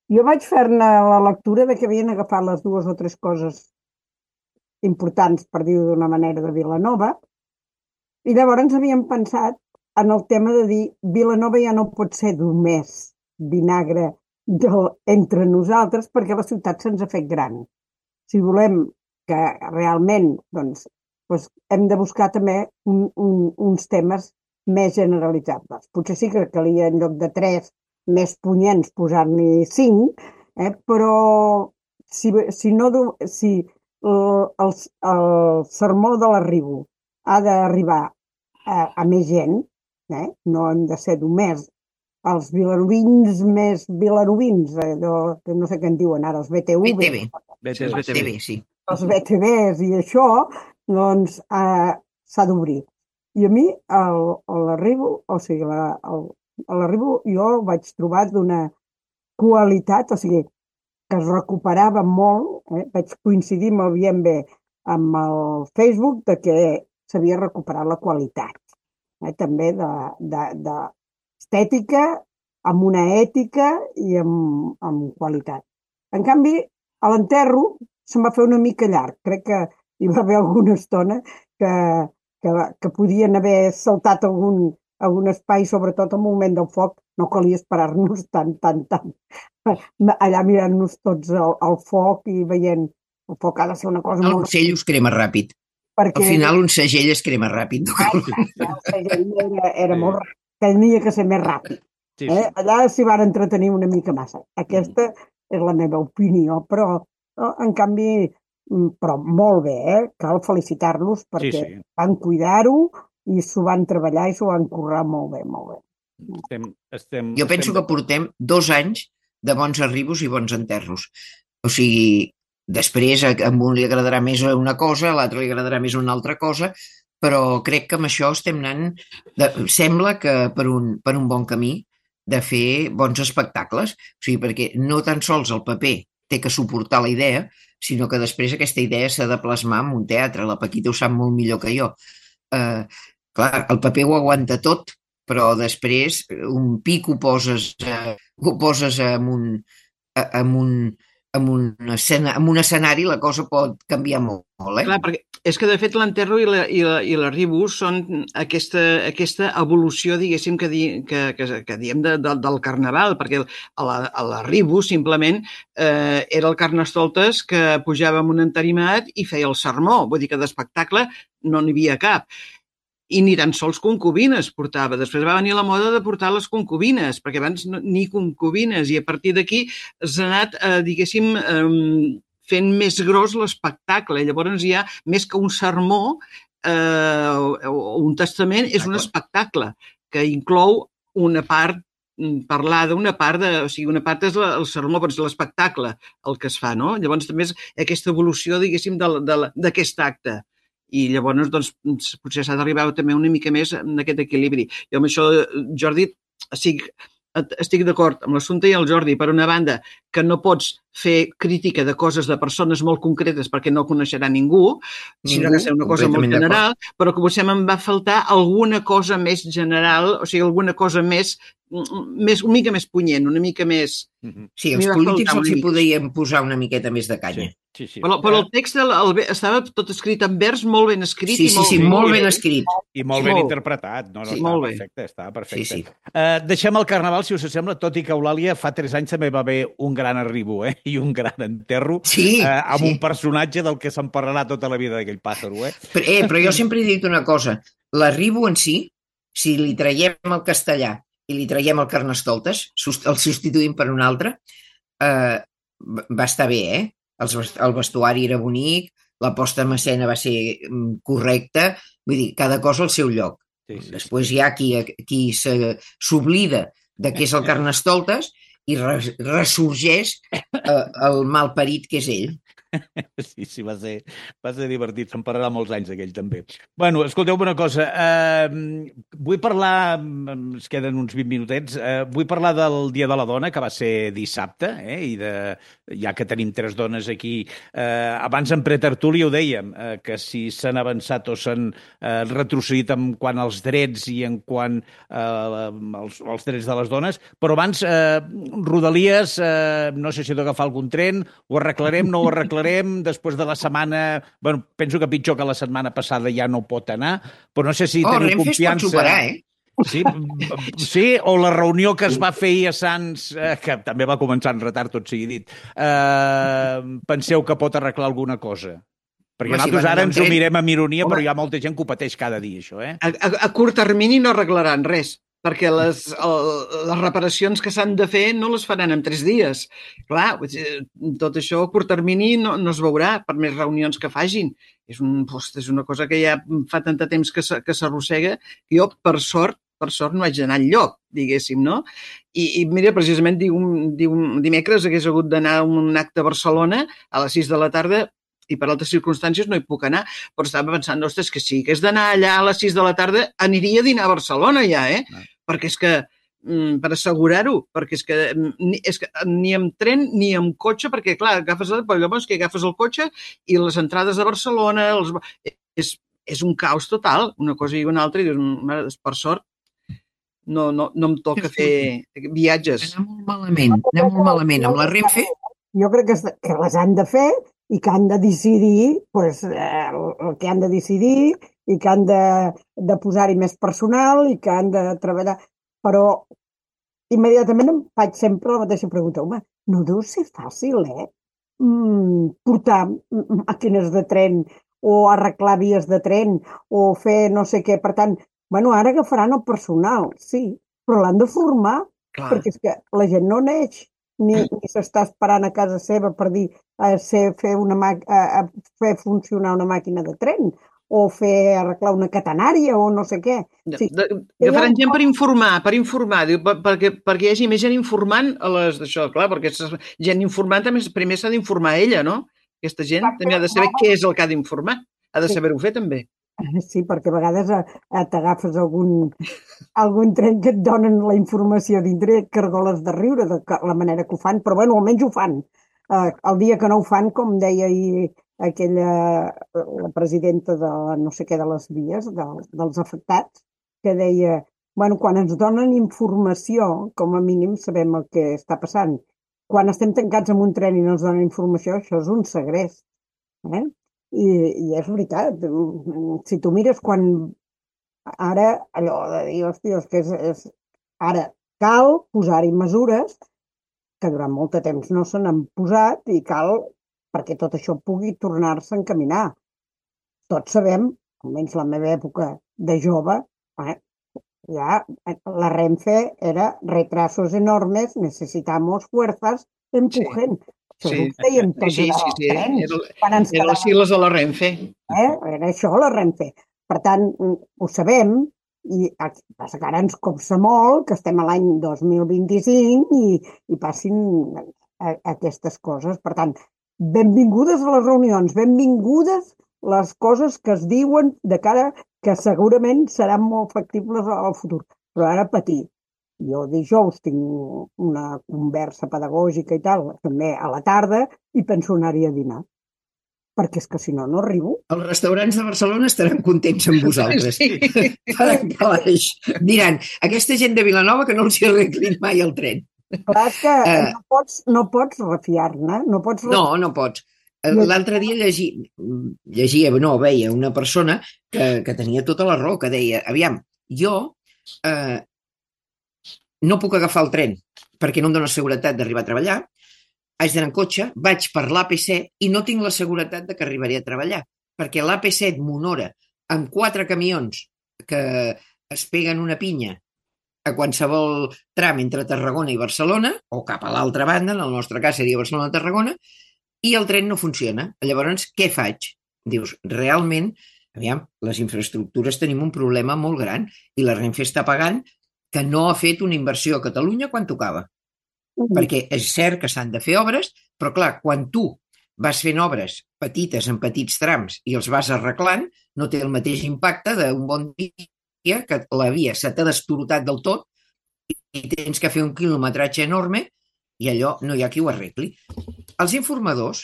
Speaker 4: Jo vaig fer-ne la lectura de que havien agafat les dues o tres coses importants, per dir-ho d'una manera, de Vilanova, i llavors havíem pensat en el tema de dir Vilanova ja no pot ser només vinagre del, entre nosaltres perquè la ciutat se'ns ha fet gran. Si volem que realment doncs, doncs hem de buscar també un, un, uns temes més generalitzables. Potser sí que calia en lloc de tres més punyents posar-n'hi cinc, eh? Però si, si, no, si el, el, el sermó de l'arribo ha d'arribar a, a més gent, eh? No hem de ser només els vilarovins més vilarovins, eh? no, no sé què en diuen ara, els B T V.
Speaker 5: B T V.
Speaker 2: B T V,
Speaker 5: B T V, sí.
Speaker 4: Els B T Vs i això, doncs eh, s'ha d'obrir. I a mi l'arribo, o sigui, la, el, l'arribo jo el vaig trobar d'una qualitat, o sigui, que es recuperava molt, eh? Vaig coincidir molt bien bé amb el Facebook de que s'havia recuperat la qualitat, eh? També de, de, de estètica, amb una ètica i amb, amb qualitat. En canvi, a l'enterro se'm va fer una mica llarg. Crec que hi va haver alguna estona que, que, que podien haver saltat algun, algun espai, sobretot al moment del foc. No calia esperar-nos tant, tant, tant. Allà mirant-nos tots al, al foc i veient el foc ha de ser una cosa
Speaker 5: El
Speaker 4: molt...
Speaker 5: segell us crema ràpid.
Speaker 4: Perquè...
Speaker 5: Al final un segell es crema ràpid.
Speaker 4: El segell era, era molt ràpid. Tenia que ser més ràpid.
Speaker 2: Sí,
Speaker 4: Eh?
Speaker 2: sí.
Speaker 4: Allà s'hi van entretenir una mica massa. Aquesta és la meva opinió, però en canvi, però molt bé, eh? Cal felicitar-los perquè
Speaker 2: Sí, sí.
Speaker 4: van cuidar-ho i s'ho van treballar i s'ho van currar molt bé, molt bé.
Speaker 2: Estem, estem,
Speaker 5: Jo penso
Speaker 2: estem...
Speaker 5: que portem dos anys de bons arribos i bons enterros. O sigui, després a un li agradarà més una cosa, a l'altre li agradarà més una altra cosa, però crec que amb això estem anant... De... Sembla que per un, per un bon camí de fer bons espectacles. O sigui, perquè no tan sols el paper té que suportar la idea, sinó que després aquesta idea s'ha de plasmar en un teatre. La Paquita ho sap molt millor que jo. Eh, clar, el paper ho aguanta tot, però després un pic ho poses, eh, ho poses en un, en un, en un, escena, en un escenari, la cosa pot canviar molt, molt eh?
Speaker 3: Clar, perquè és que de fet l'enterro i la, i la, i l'arribo són aquesta, aquesta evolució, diguéssim, que, di, que, que, que diem de, de, del carnaval, perquè a l'arribo simplement eh, era el Carnestoltes que pujava amb un entarimat i feia el sermó, vull dir que d'espectacle no n'hi havia cap. I ni tan sols concubines portava. Després va venir la moda de portar les concubines, perquè abans no, ni concubines, i a partir d'aquí s'ha anat, eh, diguéssim, eh, fent més gros l'espectacle. Llavors hi ha, més que un sermó eh, o un testament, és un espectacle que inclou una part parlada, una part de... O sigui, una part és la, el sermó, però és l'espectacle el que es fa, no? Llavors també és aquesta evolució, diguéssim, d'aquest acte. I llavors, doncs, potser s'ha d'arribar també una mica més en aquest equilibri. Jo amb això, Jordi, estic, estic d'acord amb l'assumpte i el Jordi, per una banda, que no pots fer crítica de coses de persones molt concretes perquè no coneixerà ningú, sinó que és una cosa molt general, però que potser em va faltar alguna cosa més general, o sigui, alguna cosa més, més una mica més punyent, una mica més...
Speaker 5: Sí, els polítics els hi podien posar una miqueta més de canya.
Speaker 2: Sí. Sí, sí.
Speaker 3: Però, però el text el, el, estava tot escrit en vers, molt ben escrit.
Speaker 5: Sí, sí, sí,
Speaker 3: molt,
Speaker 5: molt ben escrit.
Speaker 2: I molt ben interpretat. No, no,
Speaker 3: sí,
Speaker 2: estava perfecte, estava perfecte.
Speaker 5: Sí, sí.
Speaker 2: Uh, deixem el Carnaval, si us sembla, tot i que Eulàlia fa tres anys també va haver un gran arribo, eh? I un gran enterro,
Speaker 5: sí,
Speaker 2: uh, amb
Speaker 5: sí.
Speaker 2: un personatge del que se'n parlarà tota la vida d'aquell pàssaro, eh?
Speaker 5: Però, eh, però jo sempre he dit una cosa. L'arribo en si, si li traiem el castellà i li traiem el Carnestoltes, el substituïm per un altre, eh, va estar bé, eh? El vestuari era bonic, la posta en escena va ser correcta, vull dir, cada cosa al seu lloc. Sí, sí, Després hi ha qui, qui s'oblida de què és el Carnestoltes i ressorgeix eh, el malparit que és ell.
Speaker 2: Sí, sí, va ser, va ser divertit. Se'n parlarà molts anys d'aquell, també. Bueno, escolteu una cosa. Eh, vull parlar, ens queden uns vint minutets, eh, vull parlar del Dia de la Dona, que va ser dissabte, eh, i de, ja que tenim tres dones aquí. Eh, abans en pretertúlia ho dèiem, eh, que si s'han avançat o s'han eh, retrocedit en quant als drets i en quant eh, als, als drets de les dones, però abans, eh, Rodalies, eh, no sé si he d'agafar algun tren, ho arreglarem, no ho arreglarem, després de la setmana... Bueno, penso que pitjor que la setmana passada ja no pot anar, però no sé si
Speaker 5: oh,
Speaker 2: teniu
Speaker 5: Renfe
Speaker 2: confiança...
Speaker 5: Oh, Renfe es pot superar, eh?
Speaker 2: Sí, sí, o la reunió que es va fer ahir a Sants, eh, que també va començar en retard, tot sigui dit. Eh, penseu que pot arreglar alguna cosa? Perquè
Speaker 5: Home, si
Speaker 2: nosaltres
Speaker 5: van
Speaker 2: ara
Speaker 5: amb
Speaker 2: ens ho
Speaker 5: tren-
Speaker 2: mirem amb ironia,
Speaker 5: Home.
Speaker 2: però hi ha molta gent que ho pateix cada dia, això, eh?
Speaker 3: A, a, a curt termini no arreglaran res, perquè les, el, les reparacions que s'han de fer no les faran en tres dies. Clar, tot això a curt termini no, no es veurà per més reunions que facin. És, un, host, és una cosa que ja fa tant de temps que s'arrossega que jo, per sort, per sort no haig d'anar enlloc, diguéssim, no? I, i mira, precisament diu, diu, dimecres hagués hagut d'anar a un acte a Barcelona a les sis de la tarda i per altres circumstàncies no hi puc anar, però estava pensant, ostres, que si hagués d'anar allà a les sis de la tarda aniria a dinar a Barcelona ja, eh?
Speaker 2: Ah.
Speaker 3: Perquè és que, per assegurar-ho, perquè és que, és que ni amb tren ni amb cotxe, perquè clar, agafes el, llavors que agafes el cotxe i les entrades a Barcelona, els, és, és un caos total, una cosa i una altra, i dius, per sort, no, no, no em toca fer viatges.
Speaker 5: Anar molt malament, anar molt malament amb la Renfe.
Speaker 4: Jo crec que, que les han de fer i que han de decidir pues, eh, el que han de decidir i que han de, de posar-hi més personal i que han de treballar. Però immediatament em faig sempre la mateixa pregunta. Home, no deu ser fàcil, eh? Mm, portar màquines de tren o arreglar vies de tren o fer no sé què. Per tant, bueno, ara agafaran el personal, sí, però l'han de formar,
Speaker 3: Clar.
Speaker 4: perquè és que la gent no neix, ni, ni s'està esperant a casa seva per dir a ser, fer, una mà, a, a fer funcionar una màquina de tren o fer arreglar una catenària o no sé què. Sí.
Speaker 3: De, de, agafaran gent per informar, per informar, diu, per, perquè, perquè hi hagi més gent informant a les d'això, clar, perquè gent informant també primer s'ha d'informar ella, no? Aquesta gent
Speaker 4: Exacte.
Speaker 3: també ha de saber què és el que ha d'informar, ha de saber-ho fer també.
Speaker 4: Sí, perquè a vegades a, a t'agafes algun, algun tren que et donen la informació dintre i et cargoles de riure de la manera que ho fan, però bueno, almenys ho fan. Uh, el dia que no ho fan, com deia ahir aquella, la presidenta de la, no sé què de les vies, de, dels afectats, que deia, bueno, quan ens donen informació, com a mínim sabem el que està passant. Quan estem tancats en un tren i no ens donen informació, això és un segrest. Eh? I, i és veritat, si tu mires quan ara allò de dir, hòstia, és que és, és... ara cal posar-hi mesures que durant molt de temps no se n'han posat i cal perquè tot això pugui tornar-se a encaminar. Tots sabem, almenys la meva època de jove, eh, ja la Renfe era retrasos enormes, necesitamos fuerzas, empujen. Sí. Això
Speaker 3: Sí,
Speaker 4: ho dèiem tots
Speaker 3: sí, sí, sí.
Speaker 4: trens,
Speaker 3: Era,
Speaker 4: quan ens
Speaker 3: era les sigles de la Renfe.
Speaker 4: Eh? Era això la Renfe. Per tant, ho sabem, i passa que ara ens copsa molt que estem a l'any dos mil vint-i-cinc i, i passin a, a aquestes coses. Per tant, benvingudes a les reunions, benvingudes les coses que es diuen de cara que segurament seran molt factibles al futur. Però ara patir. Jo dijous tinc una conversa pedagògica i tal, també a la tarda, i penso anar-hi a dinar. Perquè és que si no, no arribo.
Speaker 5: Els restaurants de Barcelona estaran contents amb vosaltres.
Speaker 3: Sí.
Speaker 5: Faran calaix. Diran, aquesta gent de Vilanova que no els hi arreglin mai el tren.
Speaker 4: Clar, és que
Speaker 5: Eh.
Speaker 4: no pots, no pots refiar-ne. No pots refiar.
Speaker 5: No, no pots. L'altre dia llegi, llegia, no, veia una persona que, que tenia tota la raó, que deia, aviam, jo eh, no puc agafar el tren perquè no em dóna seguretat d'arribar a treballar, haig d'anar en cotxe, vaig per l'A P set i no tinc la seguretat de que arribaré a treballar, perquè l'A P set m'honora amb quatre camions que es peguen una pinya a qualsevol tram entre Tarragona i Barcelona, o cap a l'altra banda, en el nostre cas seria Barcelona-Tarragona, i el tren no funciona. Llavors, què faig? Dius, realment, aviam, les infraestructures tenim un problema molt gran i la Renfe està pagant que no ha fet una inversió a Catalunya quan tocava.
Speaker 4: Mm.
Speaker 5: Perquè és cert que s'han de fer obres, però clar, quan tu vas fent obres petites en petits trams i els vas arreglant, no té el mateix impacte d'un bon dia que la via se t'ha destorotat del tot i tens que fer un quilometratge enorme i allò no hi ha qui ho arregli. Els informadors,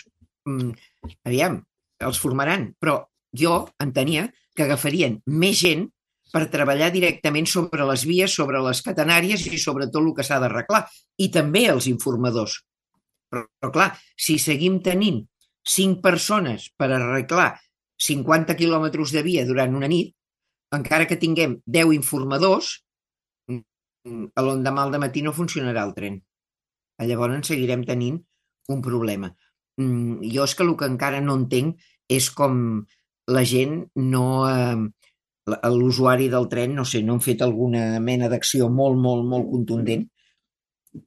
Speaker 5: aviam, els formaran, però jo entenia que agafarien més gent per treballar directament sobre les vies, sobre les catenàries i sobre tot el que s'ha d'arreglar. I també els informadors. Però, però clar, si seguim tenint cinc persones per arreglar cinquanta quilòmetres de via durant una nit, encara que tinguem deu informadors, a l'endemà al dematí no funcionarà el tren. Llavors seguirem tenint un problema. Jo és que el que encara no entenc és com la gent no... Eh, l'usuari del tren, no sé, no han fet alguna mena d'acció molt, molt, molt contundent,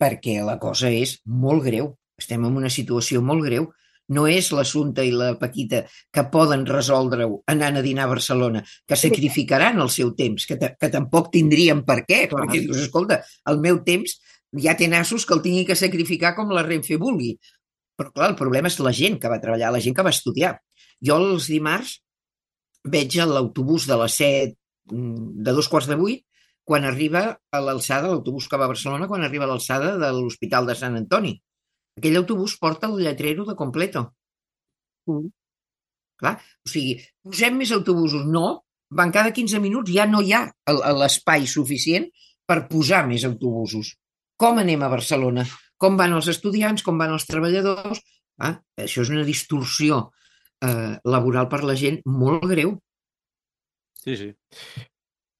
Speaker 5: perquè la cosa és molt greu. Estem en una situació molt greu. No és l'Assumpta i la Paquita que poden resoldre-ho anant a dinar a Barcelona, que sacrificaran el seu temps, que, que tampoc tindrien per què, clar, perquè dius, escolta, el meu temps ja té nassos que el tingui que sacrificar com la Renfe vulgui. Però clar, el problema és la gent que va treballar, la gent que va estudiar. Jo els dimarts veig l'autobús de les set, de dos quarts de vuit, quan arriba a l'alçada, l'autobús que va a Barcelona, quan arriba a l'alçada de l'Hospital de Sant Antoni. Aquell autobús porta el lletrero de Completo. Mm. Clar, o sigui, posem més autobusos. No, van cada quinze minuts, ja no hi ha l'espai suficient per posar més autobusos. Com anem a Barcelona? Com van els estudiants? Com van els treballadors? Ah, això és una distorsió eh, laboral per la gent molt greu.
Speaker 2: Sí, sí.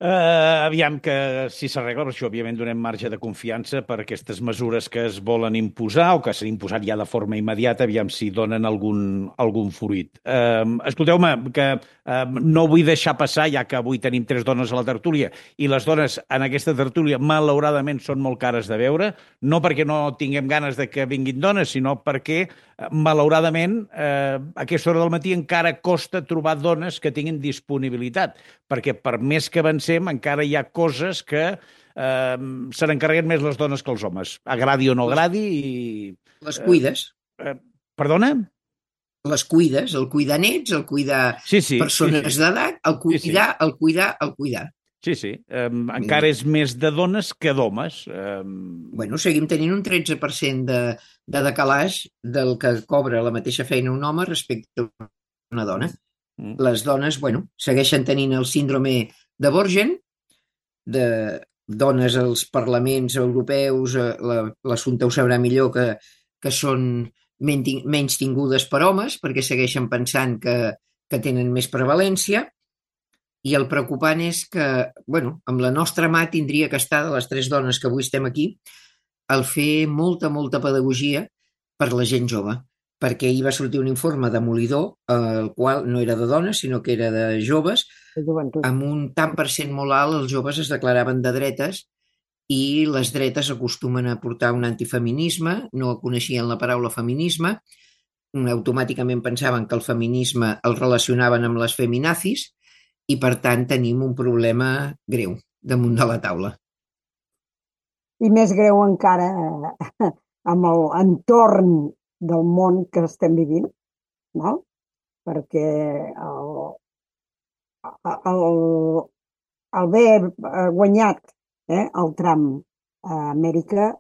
Speaker 2: Uh, aviam que si s'arregla, per això òbviament donem marge de confiança per aquestes mesures que es volen imposar o que s'han imposat ja de forma immediata, aviam si donen algun, algun fruit. Uh, escolteu-me, que uh, no vull deixar passar, ja que avui tenim tres dones a la tertúlia, i les dones en aquesta tertúlia malauradament són molt cares de veure, no perquè no tinguem ganes de que vinguin dones, sinó perquè malauradament, eh, a aquesta hora del matí encara costa trobar dones que tinguin disponibilitat, perquè per més que avancem encara hi ha coses que eh, se n'encarreguen més les dones que els homes, agradi o no agradi. I,
Speaker 5: les cuides.
Speaker 2: Eh, eh, perdona?
Speaker 5: Les cuides, el cuidar nets, el cuidar
Speaker 2: sí, sí,
Speaker 5: persones
Speaker 2: sí, sí.
Speaker 5: d'edat, el cuidar, sí, sí. el cuidar, el cuidar.
Speaker 2: Sí, sí. Um, encara és més de dones que d'homes. Um...
Speaker 5: Bueno, seguim tenint un tretze per cent de, de decalaix del que cobra la mateixa feina un home respecte a una dona. Mm. Les dones, bueno, segueixen tenint el síndrome de Borgen, de dones als parlaments europeus, l'Assumpta ho sabrà millor, que, que són menys tingudes per homes, perquè segueixen pensant que, que tenen més prevalència. I el preocupant és que, bueno, amb la nostra mà tindria que estar, de les tres dones que avui estem aquí, el fer molta, molta pedagogia per la gent jove, perquè ahir va sortir un informe demolidor, el qual no era de dones, sinó que era de joves, amb un tant per cent molt alt, els joves es declaraven de dretes i les dretes acostumen a portar un antifeminisme, no coneixien la paraula feminisme, automàticament pensaven que el feminisme el relacionaven amb les feminazis, i, per tant, tenim un problema greu damunt de la taula.
Speaker 4: I més greu encara eh, amb l'entorn del món que estem vivint, no? Perquè el, el, el haver guanyat eh, el Trump a Amèrica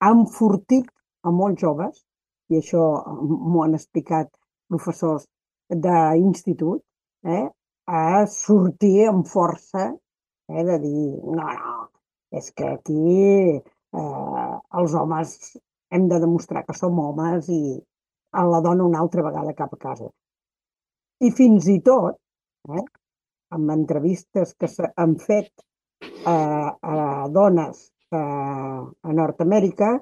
Speaker 4: ha enfortit a molts joves, i això m'ho han explicat professors d'institut, eh, a sortir amb força, eh, de dir, no, no, és que aquí eh, els homes hem de demostrar que som homes i a la dona una altra vegada cap a casa. I fins i tot, eh, amb entrevistes que s'han fet a, a dones a, a Nord-Amèrica,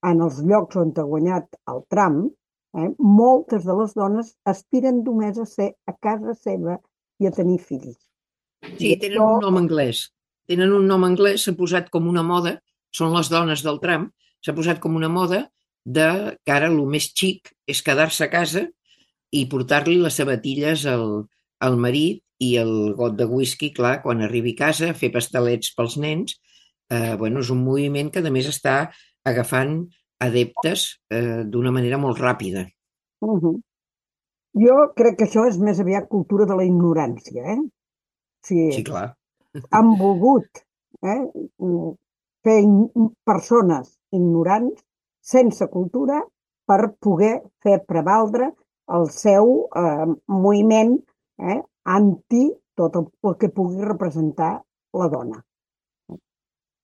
Speaker 4: en els llocs on ha guanyat el Trump, eh, moltes de les dones aspiren només a ser a casa seva i a tenir fills.
Speaker 5: Sí, tenen un nom anglès. Tenen un nom anglès, s'ha posat com una moda, són les dones del Trump, s'ha posat com una moda de que ara el més xic és quedar-se a casa i portar-li les sabatilles al, al marit i el got de whisky, clar, quan arribi a casa, fer pastelets pels nens. Eh, bueno, és un moviment que, a més, està agafant adeptes eh, d'una manera molt ràpida.
Speaker 4: Uh-huh. Jo crec que això és més aviat cultura de la ignorància, eh? Sí,
Speaker 5: sí, clar.
Speaker 4: Han volgut eh, fer in- persones ignorants, sense cultura, per poder fer prevaldre el seu eh, moviment eh, anti tot el, el que pugui representar la dona.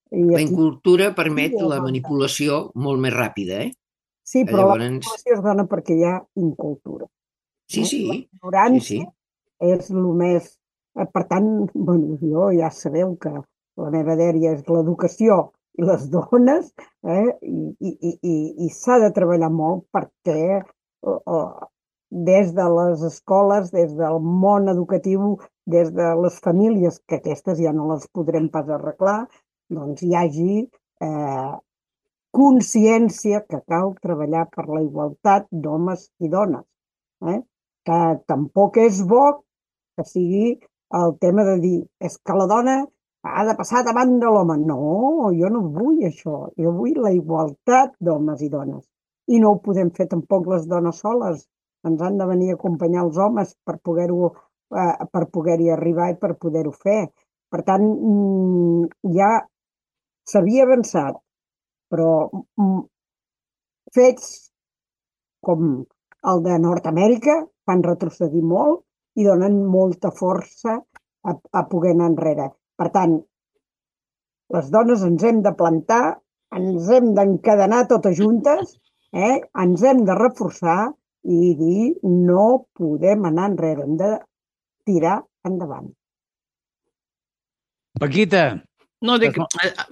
Speaker 5: I la incultura permet sí, la manipulació molt més ràpida, eh?
Speaker 4: Sí, però llavors... la manipulació es dona perquè hi ha incultura.
Speaker 5: Sí, sí.
Speaker 4: La ignorància sí, sí. És el més... Per tant, bueno, jo ja sabeu que la meva dèria és l'educació i les dones, eh? I, i, i, i s'ha de treballar molt perquè uh, uh, des de les escoles, des del món educatiu, des de les famílies, que aquestes ja no les podrem pas arreglar, doncs hi hagi eh, consciència que cal treballar per la igualtat d'homes i dones. Eh? Que tampoc és bo que sigui el tema de dir és que la dona ha de passar davant de l'home. No, jo no vull això. Jo vull la igualtat d'homes i dones. I no ho podem fer tampoc les dones soles. Ens han de venir a acompanyar els homes per poder-ho eh, per poder-hi arribar i per poder-ho fer. Per tant, ja s'havia avançat, però fets com el de Nord-Amèrica fan retrocedir molt i donen molta força a, a poder anar enrere. Per tant, les dones ens hem de plantar, ens hem d'encadenar totes juntes, eh? Ens hem de reforçar i dir no podem anar enrere, hem de tirar endavant.
Speaker 2: Paquita.
Speaker 3: No, dic,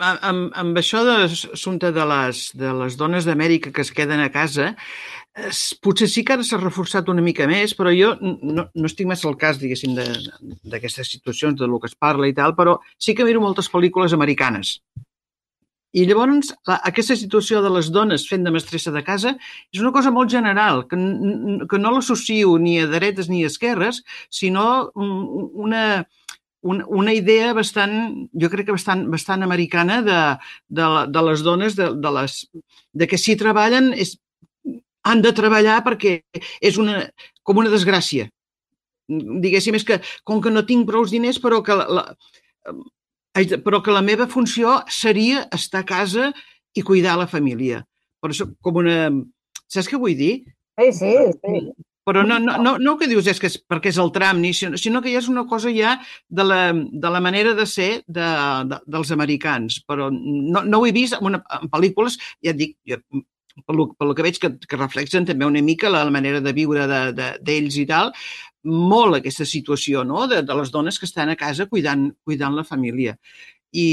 Speaker 3: amb, amb això de l'assumpte de les, de les dones d'Amèrica que es queden a casa, potser sí que ara s'ha reforçat una mica més, però jo no, no estic massa al cas, diguéssim, d'aquestes situacions, de lo que es parla i tal, però sí que miro moltes pel·lícules americanes. I llavors, aquesta situació de les dones fent de mestressa de casa és una cosa molt general, que, que no l'associo ni a dretes ni a esquerres, sinó una, una, una idea bastant, jo crec que bastant, bastant americana de, de, de les dones, de, de, les, de que si treballen és, han de treballar perquè és una, com una desgràcia. Diguéssim, és que com que no tinc prou diners, però que la, la però que la meva funció seria estar a casa i cuidar la família. Per això, com una... Saps què vull dir?
Speaker 4: Sí, sí, sí.
Speaker 3: Però no, no, no, no el que dius és que és perquè és el tram, sinó que ja és una cosa ja de la, de la manera de ser de, de, dels americans. Però no, no ho he vist en, una, en pel·lícules, ja et dic, jo, pel, pel que veig que, que reflexen també una mica la, la manera de viure d'ells de, de, i tal, molt aquesta situació, no? de, de les dones que estan a casa cuidant, cuidant la família. I,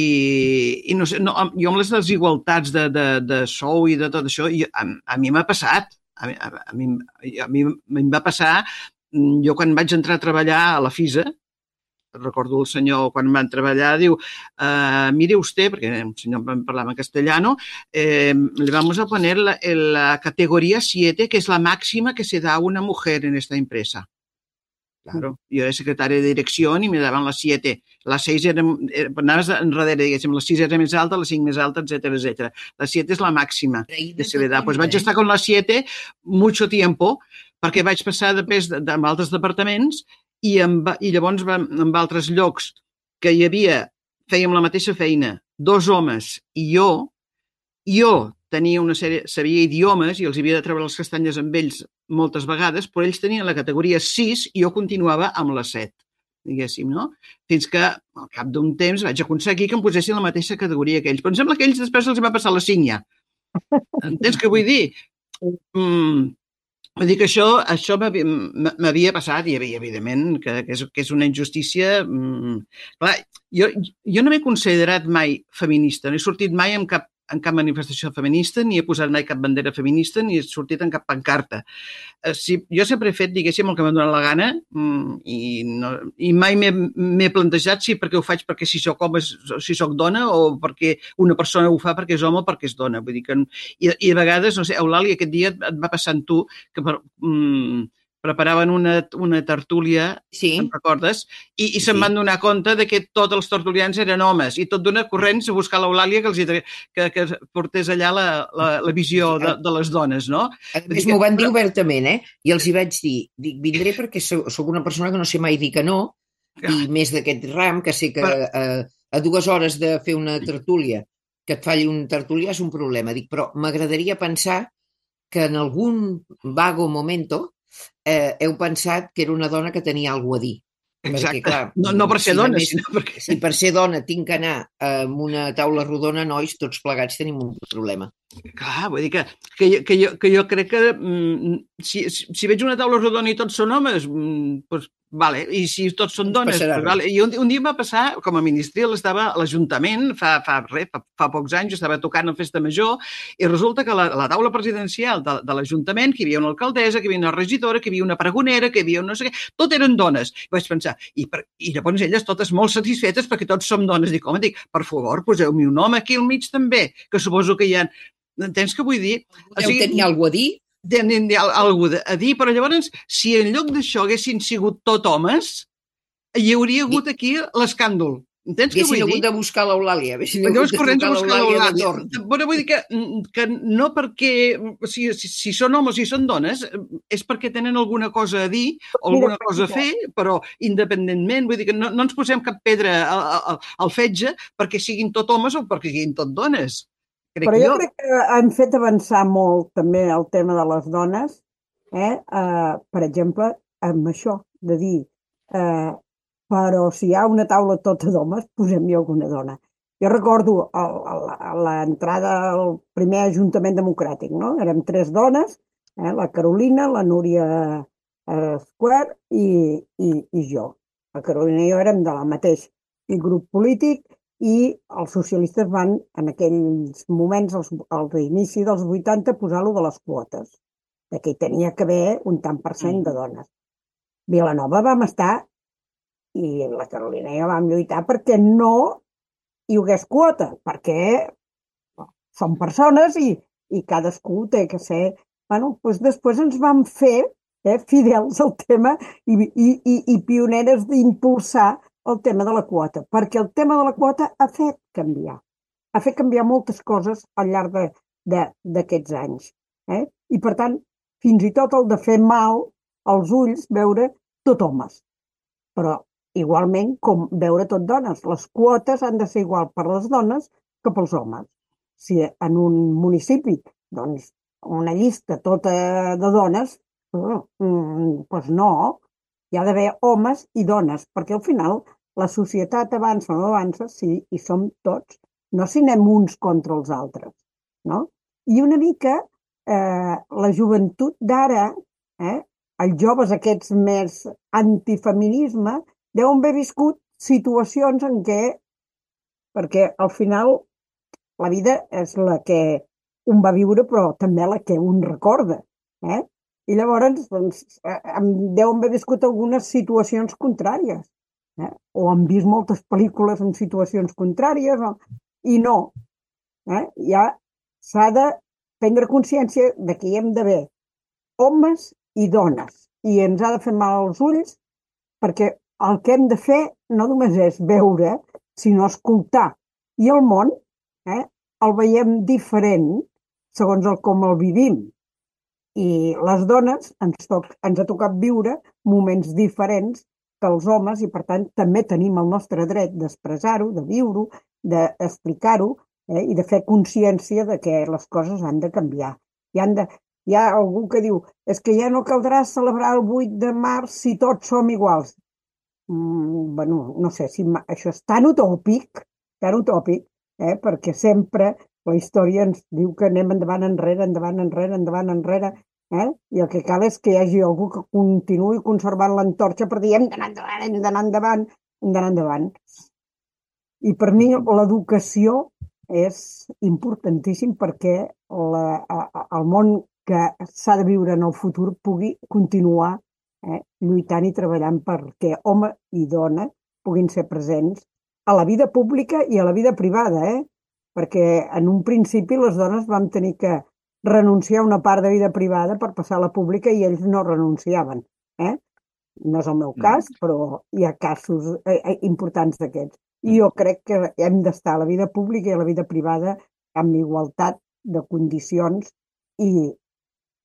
Speaker 3: i no sé, no, jo amb les desigualtats de, de, de sou i de tot això, jo, a, a mi m'ha passat. A, a, a, mi, a mi em va passar, jo quan vaig entrar a treballar a la FISA, recordo el senyor quan van treballar, diu, uh, mire usted, perquè el senyor parlava en castellano, eh, le vamos a poner la, la categoría siete, que es la máxima que se da a una mujer en esta empresa. Claro, yo era secretaria de dirección y me daban las siete. Las seis eren, anaves enrere, diguéssim, les sis era més alta, les cinc més alta, etcétera, etcétera. La siete és la màxima que se le da. Pues vaig estar con la siete mucho tiempo, perquè vaig passar després amb altres departaments i, amb, i llavors amb altres llocs que hi havia, fèiem la mateixa feina, dos homes i jo, jo tenia una sèrie, sabia idiomes i els havia de treure les castanyes amb ells moltes vegades, però ells tenien la categoria sis i jo continuava amb la set, diguéssim, no? Fins que al cap d'un temps vaig aconseguir que em posessin la mateixa categoria que ells. Però em sembla que ells després els va passar la cinc ja. Entens què vull dir? Mm, vull dir que això, això m'havia passat i evidentment que, que, és, que és una injustícia. Mm, clar, jo, jo no m'he considerat mai feminista, no he sortit mai amb cap en cap manifestació feminista, ni he posat mai cap bandera feminista, ni he sortit en cap pancarta. Si, jo sempre he fet, diguéssim, el que m'ha donat la gana i, no, i mai m'he plantejat si perquè ho faig perquè si soc home, si soc dona o perquè una persona ho fa perquè és home o perquè és dona. Vull dir que, i, i a vegades, no sé, Eulàlia, aquest dia et va passar amb tu que per, mm, preparaven una, una tertúlia, sí. Em recordes? I, i se'n sí. Van donar compte de que tots els tertulians eren homes i tot d'una corrents a buscar l'Eulàlia que, els, que, que portés allà la, la, la visió de, de les dones, no?
Speaker 5: A més, m'ho van dir obertament, eh? I els hi vaig dir, dic, vindré perquè soc una persona que no sé mai dir que no, i més d'aquest ram, que sé que a, a dues hores de fer una tertúlia, que et falli un tertulià és un problema. Dic, però m'agradaria pensar que en algun vago momento Eh, heu pensat que era una dona que tenia alguna a dir.
Speaker 3: Exacte. Perquè, clar, no, no per ser si dona, més, sinó perquè...
Speaker 5: Si per ser dona tinc que anar amb una taula rodona, nois, tots plegats tenim un problema.
Speaker 3: Clar, vull dir que, que, jo, que, jo, que jo crec que mm, si, si veig una taula rodona i tots són homes, mm, doncs Vale, i si tots són
Speaker 5: No ens
Speaker 3: dones...
Speaker 5: passarà
Speaker 3: Pues, vale.
Speaker 5: res.
Speaker 3: I un, un dia em va passar, com a ministril, estava a l'Ajuntament, fa, fa, res, fa, fa pocs anys, jo estava tocant a Festa Major, i resulta que a la, a la taula presidencial de, de l'Ajuntament, que hi havia una alcaldessa, que hi havia una regidora, que hi havia una pregonera, que hi havia no sé què, tot eren dones. I vaig pensar, i, per, i llavors elles totes molt satisfetes perquè tots som dones. Dic, home, dic, per favor, poseu-me un home aquí al mig també, que suposo que hi ha... Entens què vull dir?
Speaker 5: Deu tenir alguna cosa a dir?
Speaker 3: Tenen alguna a dir, però llavors, si en lloc d'això haguessin sigut tot homes, hi hauria hagut aquí l'escàndol. Entens què vull
Speaker 5: Haguessin
Speaker 3: dir?
Speaker 5: hagut de buscar l'Eulàlia. Haguessin
Speaker 3: Llavors
Speaker 5: hagut de
Speaker 3: corrents a
Speaker 5: trucar
Speaker 3: buscar
Speaker 5: l'Eulàlia de
Speaker 3: l'Eulàlia.
Speaker 5: torn.
Speaker 3: Però vull dir que, que no perquè, si, si, si són homes o si són dones, és perquè tenen alguna cosa a dir o alguna cosa a fer, però independentment, vull dir que no, no ens posem cap pedra al, al, al fetge perquè siguin tot homes o perquè siguin tot dones. Crec
Speaker 4: Però jo,
Speaker 3: jo
Speaker 4: crec que han fet avançar molt també el tema de les dones, eh? Uh, per exemple, amb això, de dir, uh, però si hi ha una taula tota d'homes, posem-hi alguna dona. Jo recordo l'entrada al primer Ajuntament Democràtic, no? Érem tres dones, eh? La Carolina, la Núria uh, Square i, i, i jo. La Carolina i jo érem de la mateix grup polític, i els socialistes van, en aquells moments, als, al inici dels vuitanta, posar-lo de les quotes, de que hi tenia que haver un tant per cent de dones. Vilanova vam estar, i la Carolina i jo vam lluitar perquè no hi hagués quota, perquè som persones i, i cadascú té que ser... Bueno, doncs després ens vam fer eh, fidels al tema i, i, i, i pioneres d'impulsar el tema de la quota, perquè el tema de la quota ha fet canviar. Ha fet canviar moltes coses al llarg d'aquests anys. Eh? I, per tant, fins i tot el de fer mal als ulls veure tot homes. Però, igualment, com veure tot dones. Les quotes han de ser igual per les dones que pels homes. Si en un municipi, doncs, una llista tota de dones, doncs no, hi ha d'haver homes i dones, perquè al final la societat avança o no avança, sí, i som tots, no si anem uns contra els altres, no? I una mica eh, la joventut d'ara, eh, els joves aquests més antifeminisme, deuen haver viscut situacions en què, perquè al final la vida és la que un va viure, però també la que un recorda, eh? I llavors doncs, deuen haver viscut algunes situacions contràries, eh? O han vist moltes pel·lícules en situacions contràries, o... i no. Eh? Ja s'ha de prendre consciència de que hi hem d'haver homes i dones, i ens ha de fer mal als ulls, perquè el que hem de fer no només és veure, sinó escoltar. I el món eh, el veiem diferent segons el com el vivim. I les dones ens, toc, ens ha tocat viure moments diferents que els homes i, per tant, també tenim el nostre dret d'expressar-ho, de viure-ho, d'explicar-ho eh, i de fer consciència de que les coses han de canviar. I han de, hi ha algú que diu és que ja no caldrà celebrar el vuit de març si tots som iguals. Mm, bueno, no sé si això és tan utòpic, tan utòpic, eh, perquè sempre la història ens diu que anem endavant, enrere, endavant, enrere, endavant, enrere, eh? I el que cal és que hi hagi algú que continuï conservant l'antorxa per dir hem d'anar endavant, hem d'anar endavant, hem d'anar endavant. I per mi l'educació és importantíssim perquè la, el món que s'ha de viure en el futur pugui continuar eh, lluitant i treballant perquè home i dona puguin ser presents a la vida pública i a la vida privada, eh? Perquè en un principi les dones vam tenir que renunciar a una part de vida privada per passar a la pública i ells no renunciaven. Eh? No és el meu cas, però hi ha casos eh, importants d'aquests. I jo crec que hem d'estar a la vida pública i a la vida privada amb igualtat de condicions i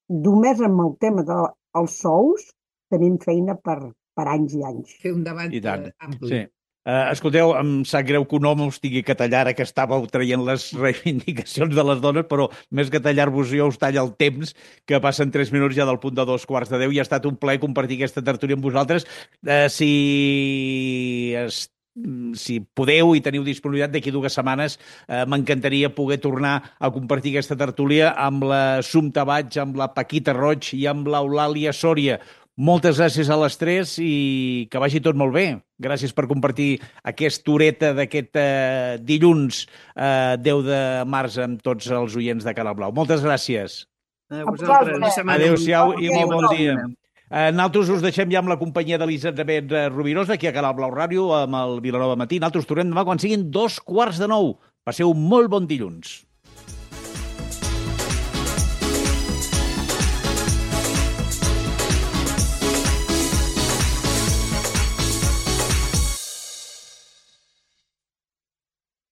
Speaker 4: només amb el tema dels sous tenim feina per, per anys i anys.
Speaker 5: Fer un debat
Speaker 2: I tant,
Speaker 5: ampli.
Speaker 2: sí. Uh, escolteu, em sap greu que un home us tingui que tallar ara que estàveu traient les reivindicacions de les dones, però més que tallar-vos jo us talla el temps, que passen tres minuts ja del punt de dos quarts de deu i ha estat un plaer compartir aquesta tertúlia amb vosaltres. Uh, si, es, si podeu i teniu disponibilitat d'aquí dues setmanes, uh, m'encantaria poder tornar a compartir aquesta tertúlia amb la Sumta Baig, amb la Paquita Roig i amb l'Eulàlia Sòria. Moltes gràcies a les tres i que vagi tot molt bé. Gràcies per compartir aquesta horeta d'aquest eh, dilluns eh, deu de març amb tots els oients de Canal Blau. Moltes gràcies.
Speaker 3: A
Speaker 4: A
Speaker 3: vosaltres.
Speaker 4: vosaltres.
Speaker 2: Adéu-siau i molt bon dia.
Speaker 3: Adéu.
Speaker 2: Eh, Nosaltres us deixem ja amb la companyia d'Elisabet Rovirosa, aquí a Canal Blau Ràdio, amb el Vilanova Matí. Nosaltres tornem demà quan siguin dos quarts de nou. Passeu un molt bon dilluns.